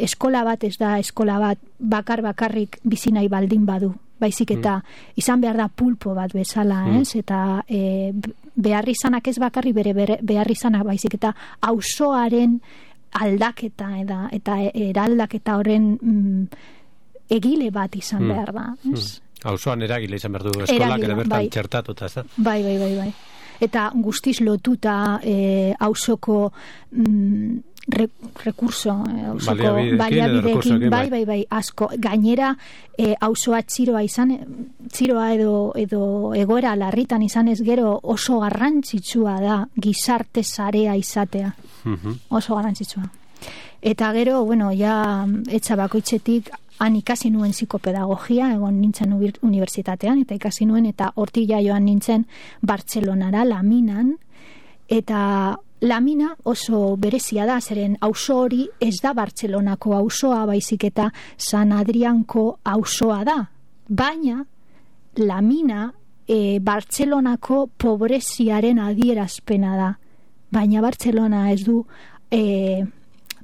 eskola bat ez da eskola bat bakarrik bizi nahi baldin badu, baizik eta izan behar da pulpo bat bezala, ez? Eta beharrizanak ez bakarrik bere beharrizanak, baizik eta auzoaren aldaketa eta eraldaketa horren egile bat izan behar da, ez?
Auzoan eragile izan behar du eskolak ere bertan txertatuta, ez da?
Bai. Eta guztiz lotuta auzoko rekurso, baliabideekin, bai, asko. Gainera, auzoa txiroa edo egoera larritan izanez gero oso garrantzitsua da gizarte sarea izatea. Oso garrantzitsua. Eta gero, ja etxa bakoitzetik han ikasi nuen psikopedagogia, egon nintzen unibertsitatean, eta ikasi nuen, eta hortik joan nintzen Bartzelonara, Laminan, eta Lamina oso berezia da, zeren auzo hori ez da Bartzelonako auzoa, baizik eta San Adrianko auzoa da. Baina, Lamina Bartzelonako pobreziaren adierazpena da. Baina Bartzelona ez du,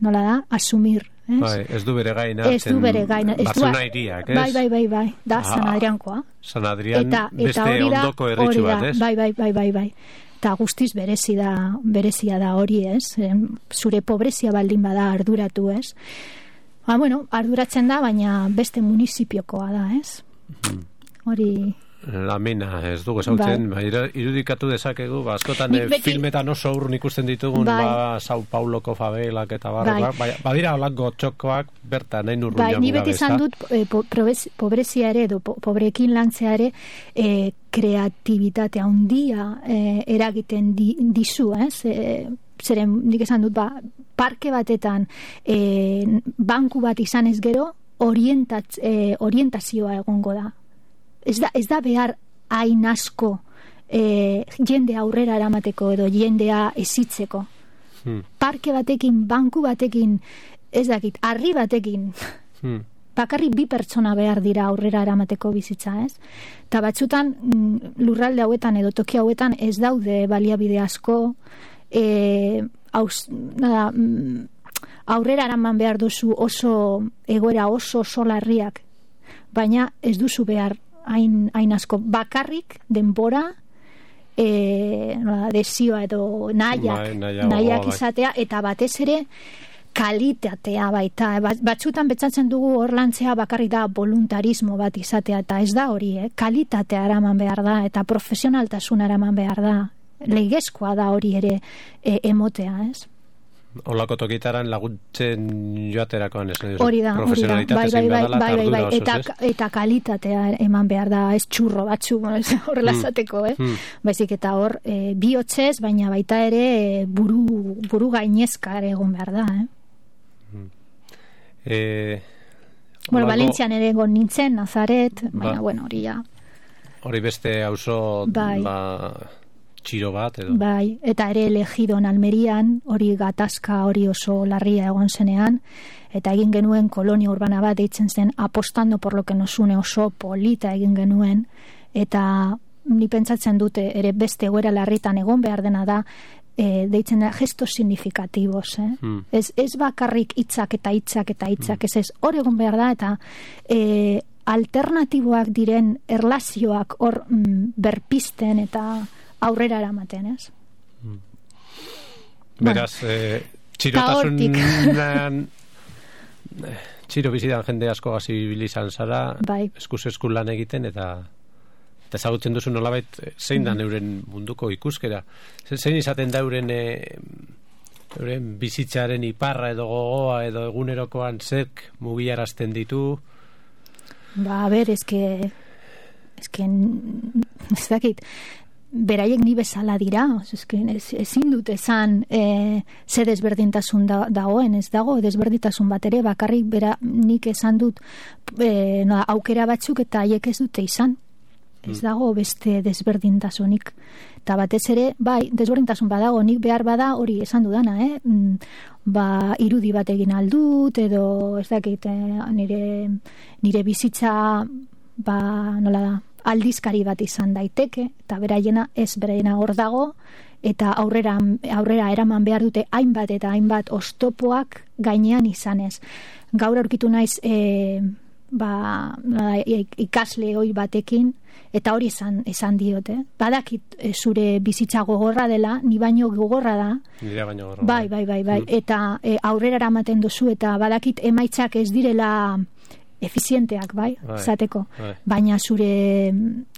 nola da, asumir.
Ez du bere gaina. Bartzelona iriak, ez?
Bai, da San Adriankoa.
San Adrian beste ondoko erritxu bat, ez?
Bai. Eta guztiz berezia da hori, ez? Zure pobrezia baldin bada arduratu, ez? Arduratzen da, baina beste municipiokoa da, ez? Hori...
Lamina, ez dugu esautzen, irudikatu dezakegu, askotan filmetan oso urrun ikusten ditugun, Sao Pauloko favelak eta badira holango txokoak bertan, nahi nurru jagu gabe.
Ni beti izan dut pobrezia ere, edo pobrekin lantzea ere, kreatibitatea handia eragiten dizu, ez? Zeren, nik esan dut, parke batetan banku bat izan ez gero, orientazioa egongo da. Ez da behar hain asko jende aurrera eramateko edo jendea ezitzeko. Parke batekin, banku batekin, ez dakit, harri batekin, bakarrik 2 pertsona behar dira aurrera eramateko bizitza, ez? Eta batzutan lurralde hauetan edo toki hauetan ez daude baliabide asko, aurrera eraman behar duzu oso egoera oso larriak, baina ez duzu behar hain asko, bakarrik denbora desioa edo nahiak izatea, eta batez ere kalitatea baita. Batzutan betzatzen dugu hor lantzea bakarrik da voluntarismo bat izatea, eta ez da hori, kalitatea eraman behar da, eta profesionaltasuna eraman behar da. Legezkoa da hori ere emotea, ez?
Olako tokitaran laguntzen joaterakoan, ez?
Hori da,
bai,
eta kalitatea eman behar da, ez txurro batzu, horrela zateko, baizik eta hor, bihotzez, baina baita ere buru gainezka egon behar da, Valentzian ere egon nintzen, Nazaret, baina, hori ja.
Hori beste auzo, txiro bat, edo?
Bai, eta ere Elegidon Almerian, hori gatazka hori oso larria egon zenean, eta egin genuen kolonia urbana bat deitzen zen apostando por lo que nos une, oso polita egin genuen, eta ni pentsatzen dute ere beste egoera larritan egon behar dena da, deitzen da gestos significativos, ez bakarrik hitzak, ez hor egon behar da, eta alternatiboak diren erlazioak hor berpisten eta aurrera eramaten, ez?
Beraz, txirotasunan txiro bizidan jende asko gazibilizan zara, eskuz lan egiten, eta ezagutzen duzu nolabait zein da euren munduko ikuskera. Zein izaten da euren bizitzaren iparra edo gogoa edo egunerokoan zerk mugiarazten ditu?
Ez dakit, beraiek ni bezala dira, ezin dut esan ze desberdintasun dagoen, ez dago desberdintasun bat ere, bakarrik nik esan dut aukera batzuk eta haiek ez dute izan, ez dago beste desberdintasunik, eta batez ere desberdintasun badago, nik behar bada hori esan dudana, irudi bat egin aldut edo ez dakit nire bizitza nola da, aldizkari bat izan daiteke, eta beraiena hor dago, eta aurrera eraman behar dute hainbat eta hainbat oztopoak gainean izanez. Gaur aurkitu naiz ikasle hoi batekin, eta hori esan diote. Badakit zure bizitza gogorra dela, ni baino gogorra da.
Nire baino gogorra.
Bai. Eta aurrera eramaten duzu, eta badakit emaitzak ez direla efizienteak, zateko. Baina zure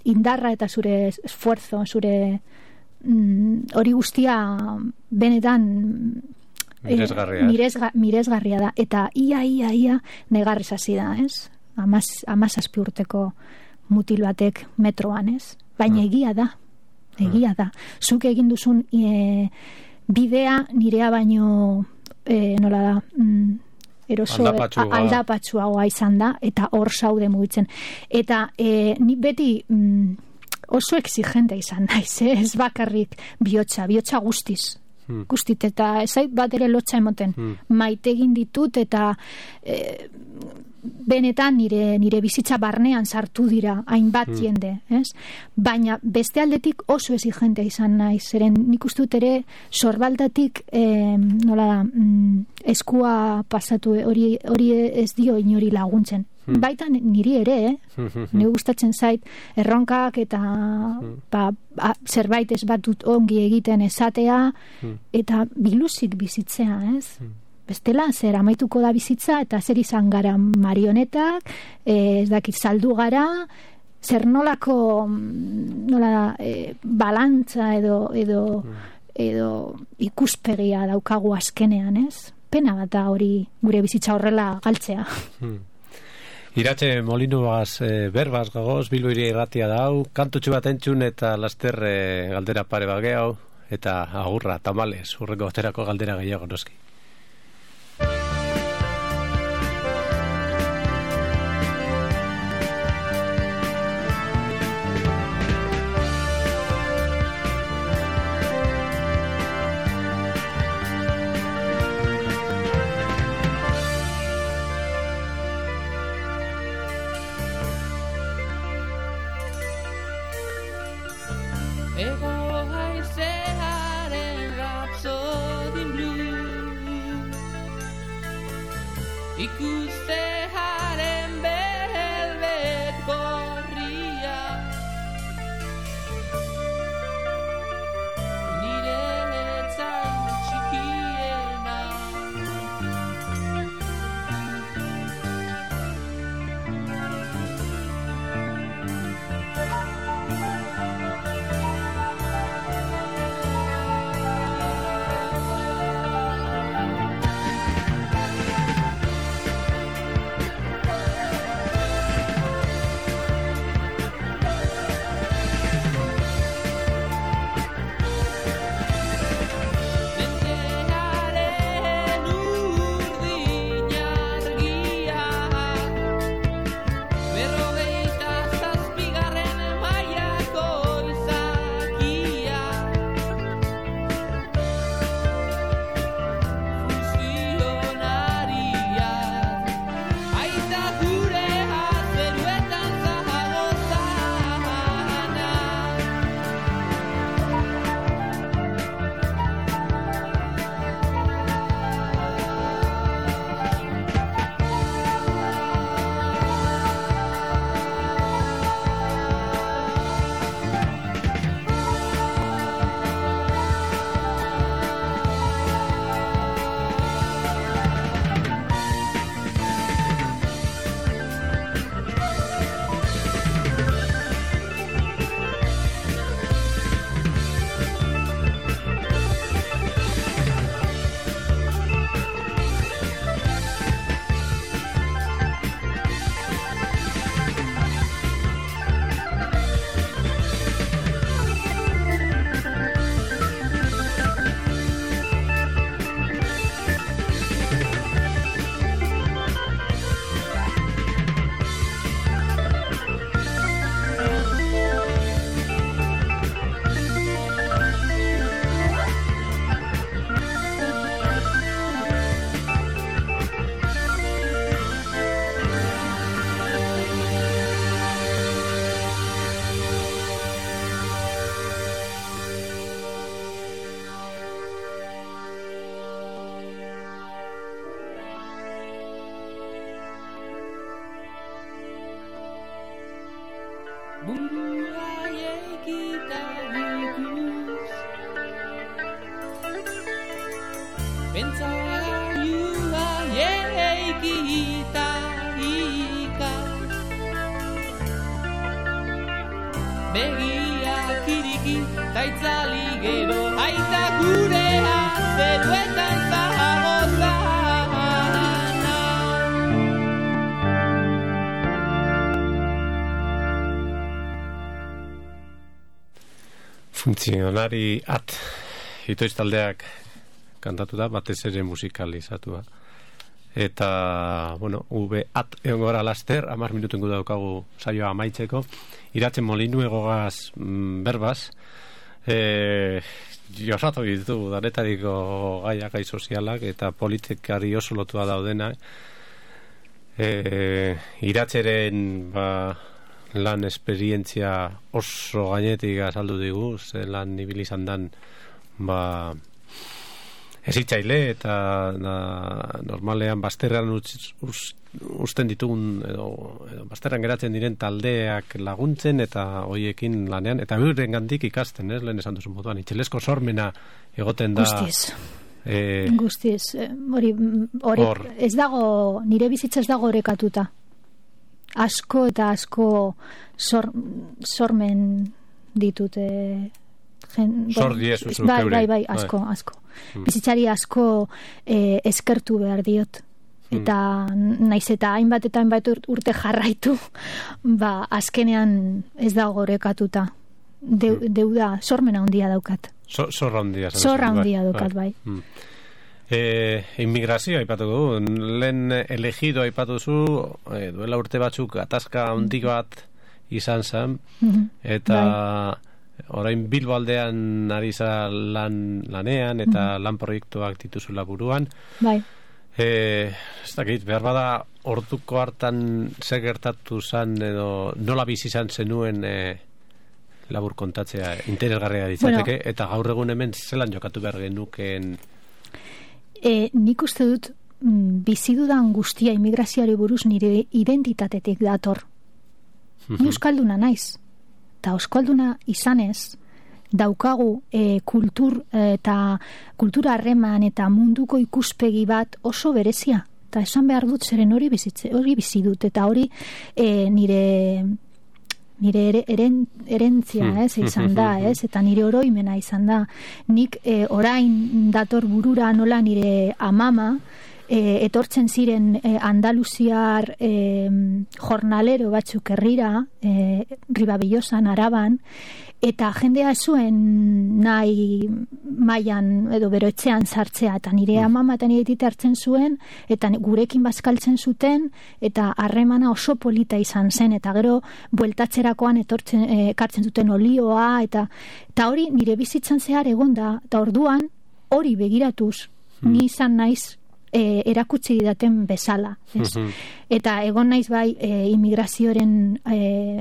indarra eta zure esfuerzo, zure hori guztia benetan miresgarria da, eta ia negarrez hasi da, ez? 17 urteko mutil batek metroan, ez? Baina egia da. Zuk egin duzun bidea nirea baino nola da, eroso aldapatsuagoa izan da, eta hor zaude mugitzen. Eta ni beti oso exigente izan naiz, ez bakarrik bihotza guztiz. Guztit, eta ezait bat ere lotxa emoten. Maite egin ditut, eta benetan nire bizitza barnean sartu dira hainbat jende, ez? Baina beste aldetik oso exigente izan naiz, zeren nik uste dut ere sorbaldatik nola da, eskua pasatu, hori ez dio inori laguntzen. Baita niri ere, nire gustatzen zait erronkak eta zerbait ez batut ongi egiten esatea, eta biluzik bizitzea, ez? Bestela, zer amaituko da bizitza, eta zer izan gara marionetak, ez dakit saldu gara, zer nolako balantza edo ikuspegia daukagu azkenean, ez? Pena bat da hori gure bizitza horrela galtzea.
Iratxe Molinubaz berbaz gagoz, Bilbo Hiria Irratia da hau, kantutxu bat entzun eta laster galdera pare bage hau, eta agurra, tamales, urrengo baterako galdera gehiago noski.
Begiak iriki, taitzali gero, aita gurea, zeruetan zahar.
Funtzionari itoiz taldeak kantatu da, batez ere musikalizatua. Eta, bueno, egon gara laster, 10 minutengu daukagu saioa amaitzeko. Iratzen Molinu egogaz berbaz. Josatu ditu, danetariko gaiak, gai sozialak, eta politikari oso lotua daudena. Iratzeren, lan esperientzia oso gainetik azaldu digu, ze lan ibilizan dan, ezitzaile eta normalean bazterran usten ditugun edo bazterran geratzen diren taldeak laguntzen eta hoiekin lanean eta euren gandik ikasten, lehen esan duzu moduan, itxelesko sormena egoten da
guztiz hori ez dago, nire bizitza ez dago orekatuta asko eta asko sormen ditut bai, asko bizitzari asko eskertu behar diot eta naiz eta hainbat urte jarraitu azkenean ez dago orekatuta deuda, sormena handia daukat
zorra
handia daukat bai.
Inmigrazio aipatu du, lehen elegido aipatu zu, duela urte batzuk atazka handik bat izan zen eta orain Bilbo aldean ari za lanean eta lan proiektuak dituzula buruan.
Bai.
Ez dakit, behar bada orduko hartan zer gertatu zan edo nola bizi izan zenuen labur kontatzea interesgarria ditzateke, eta gaur egun hemen zelan jokatu behar genukeen?
Nik uste dut bizidudan guztia immigrazioari buruz nire identitatetik dator. Ni euskalduna naiz. Eta euskalduna izanez daukagu kultura harreman eta munduko ikuspegi bat oso berezia. Eta esan behar dut zeren hori bizi dut eta hori nire erentzia izan da, eta nire oroimena izan da. Nik orain dator burura nola nire amama etortzen ziren andaluziar jornalero batzuk herrira, Ribabillosan, Araban, eta jendea zuen nahi mailan edo beroetxean sartzea, eta nire amama eta nire tita hartzen zuen, eta gurekin bazkaltzen zuten, eta harremana oso polita izan zen, eta gero bueltatzerakoan ekartzen zuten olioa, eta hori nire bizitzan zehar egon da, eta orduan hori begiratuz, ni izan naiz erakutsi didaten bezala. Eta egon naiz bai immigrazioaren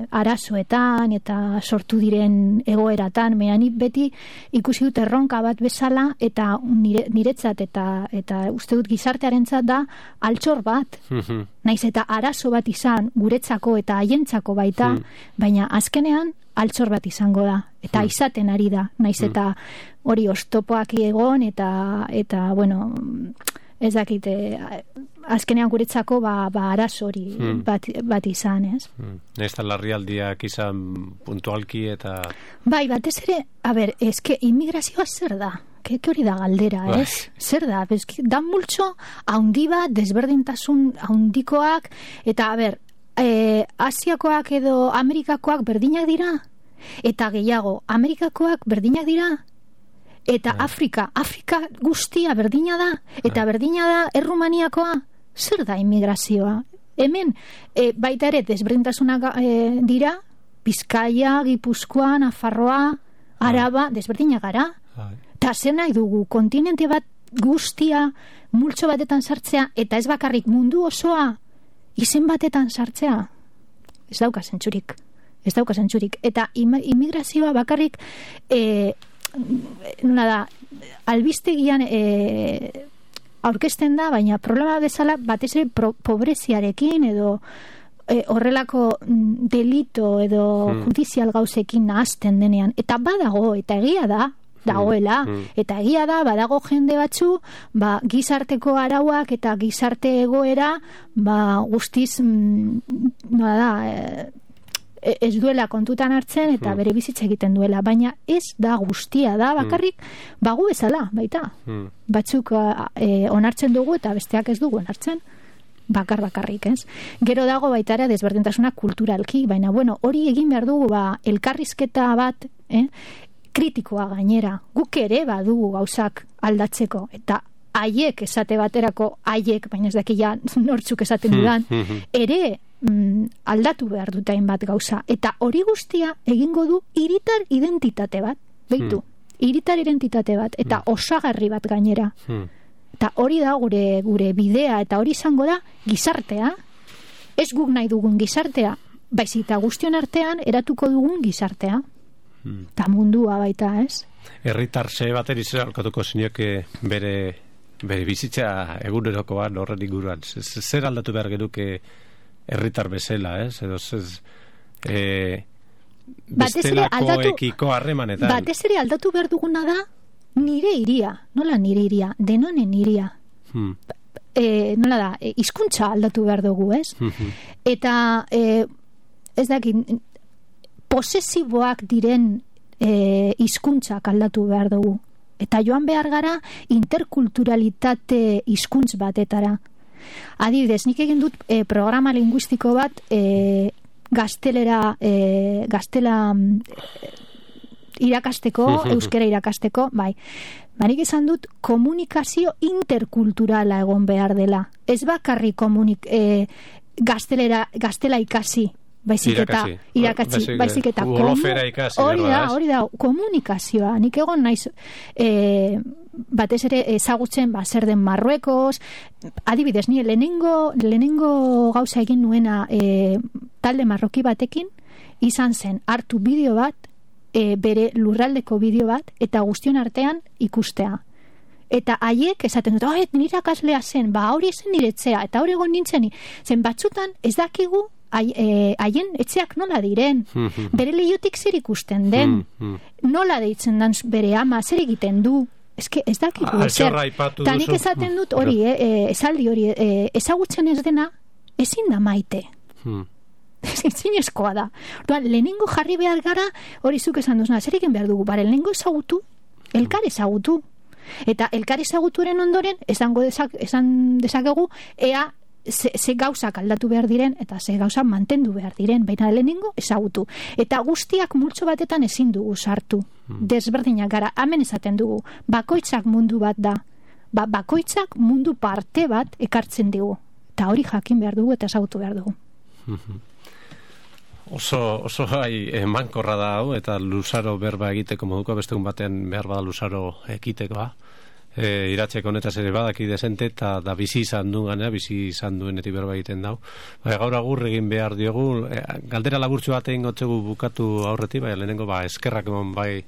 arazoetan eta sortu diren egoeratan, meanik beti ikusi dut erronka bat bezala eta niretzat eta uste dut gizartearentzat da altxor bat. Naiz eta arazo bat izan guretzako eta haientzako baita, baina azkenean altxor bat izango da eta izaten ari da. Naiz eta hori oztopoak egon eta bueno, ez dakite, azkenean guretzako arazo hori bat izan, ez?
Ez da larrialdiak izan puntualki eta...
Bai, batez ere, eske immigrazioa zer da? Ke hori da galdera, ez? Zer da? Da multxo, haundi bat, desberdintasun haundikoak, eta, Asiakoak edo Amerikakoak berdinak dira? Eta gehiago, Amerikakoak berdinak dira? Eta Afrika guztia berdina da, eta berdina da Errumaniakoa, zer da immigrazioa? Hemen, baita ere, desberdintasunak dira, Bizkaia, Gipuzkoa, Nafarroa, Araba, desberdinak gara. Eta zer nahi dugu, kontinente bat guztia, multxo batetan sartzea, eta ez bakarrik mundu osoa, izen batetan sartzea. Ez dauka zentzurik. Eta immigrazioa bakarrik... albistegian aurkezten da, baina problema bezala batez ere pobreziarekin edo horrelako delito edo judizial gauzekin nahazten denean, eta badago, eta egia da dagoela, eta egia da badago jende batzu, gizarteko arauak eta gizarte egoera guztiz ez duela kontutan hartzen eta bere bizitza egiten duela, baina ez da guztia da, bakarrik bagu bezala, baita. Batzuk onartzen dugu eta besteak ez dugu onartzen, bakarrik, ez? Gero dago baita ere desberdintasuna kulturalki, baina hori egin behar dugu elkarrizketa bat, kritikoa gainera, guk ere badugu gauzak aldatzeko, eta haiek esate baterako, baina ez dakia nortzuk esaten dudan, ere aldatu behar dut hainbat gauza, eta hori guztia egingo du hiritar identitate bat, beitu, hiritar identitate bat, eta osagarri bat gainera. Eta hori da gure bidea, eta hori izango da gizartea, ez guk nahi dugun gizartea, baizik eta guztion artean eratuko dugun gizartea. Eta mundua baita, ez?
Herritarse bateri zer alkatuko zinioke bere bizitza egunerokoan horren inguruan. Zer aldatu behar genuke herritar bezala, ez? Edo bestelakoekiko harremanetan.
Batez ere aldatu behar duguna da nire iria. Nola nire iria? Denonen iria. Nola da? Hizkuntza aldatu behar dugu, ez? Eta ez dakit, posesiboak diren hizkuntzak aldatu behar dugu. Eta joan behar gara interkulturalitate hizkuntz batetara. Adibidez, nik egin dut programa linguistiko bat gaztela irakasteko, euskera irakasteko, bai. Barik esan dut komunikazio interkulturala egon behar dela. Ez bakarri gaztela ikasi, baizik eta hori da komunikazioa. Nik egon naiz batez ere ezagutzen zer den Marruekos, adibidez, ni lehenengo gauza egin nuena talde marroki batekin izan zen hartu bideo bat, bere lurraldeko bideo bat, eta guztion artean ikustea. Eta haiek esaten dut, nire akaslea zen, hori zen niretzea, eta hori egon nintzen, zen batzutan ez dakigu haien etxeak nola diren, bere lehiotik zer ikusten den, nola deitzen dan bere ama, zer egiten du, ez dakigu ezer. Eta nik esaten dut hori, esaldi hori, ezagutzen ez dena, ezin da maite. Zinezkoa da. Lehenengo jarri behar gara, hori zuk esan duzuna, zer egin behar dugu, lehenengo ezagutu, elkar ezagutu. Eta elkar ezaguturen ondoren, esan dezakegu, ea ze gauzak aldatu behar diren, eta ze gauzak mantendu behar diren, baina lehenengo ezagutu. Eta guztiak multzo batetan ezin dugu sartu. Desberdinak gara, hemen esaten dugu, bakoitzak mundu bat da. Bakoitzak mundu parte bat ekartzen dugu. Eta hori jakin behar dugu eta ezagutu behar dugu.
Oso mankorra da hau, eta luzaro berba egiteko moduko, beste un batean behar bada luzaro ekitekoa. Iratzeko honetaz ere badaki desente, eta da bizi izan duenetik berba egiten dau. Gaur agur egin behar diogu, galdera laburtxu bat egin gotzegu bukatu aurretik, lehenengo eskerrak emon bai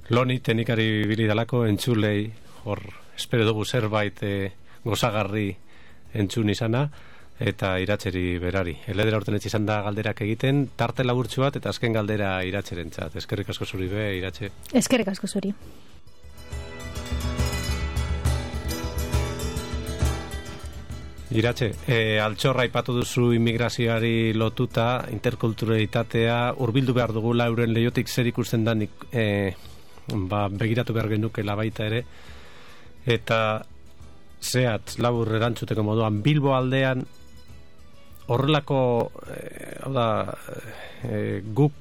Loni teknikari bili dalako, entzulei, hor espero dugu zerbait gozagarri entzun izana, eta iratzeri berari. Eledera urten izan da galderak egiten, tarte laburtxu bat, eta azken galdera iratzerentzat. Eskerrik asko zuri be, iratxe.
Eskerrik asko zuri.
Iratxe, altxorra aipatu duzu immigrazioari lotuta, interkulturalitatea, hurbildu behar dugula euren leiotik zer ikusten da begiratu behar genukela baita ere, eta zehat labur erantzuteko moduan Bilbo aldean horrelako guk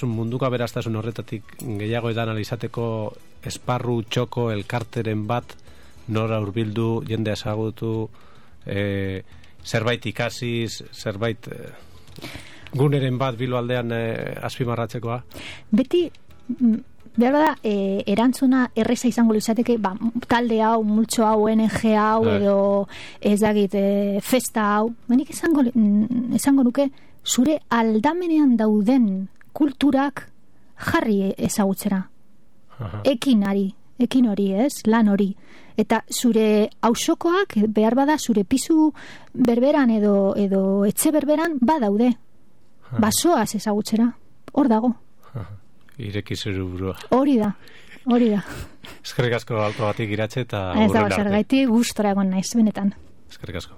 munduko aberastasun horretatik gehiago edan alizateko esparru txoko elkarteren bat nora hurbildu, jende ezagutu, zerbait ikasiz, zerbait guneren bat Bilbo aldean azpimarratzekoa?
Beti, behar da, erantzuna erreza izango luzateke, talde hau, multxo hau, ONG hau, edo ez dakit, festa hau, benik esango nuke, zure aldamenean dauden kulturak jarri ezagutzera. Ekin hori, ez, lan hori. Eta zure auzokoak behar bada zure pisu berberan edo etxe berberan badaude. Basoaz ezagutzera. Hor dago.
Ireki zure burua.
Hori da.
Eskerrik asko alto batik iratxe eta
ez dago zergaiti gustora egon naiz, benetan.
Eskerrik asko.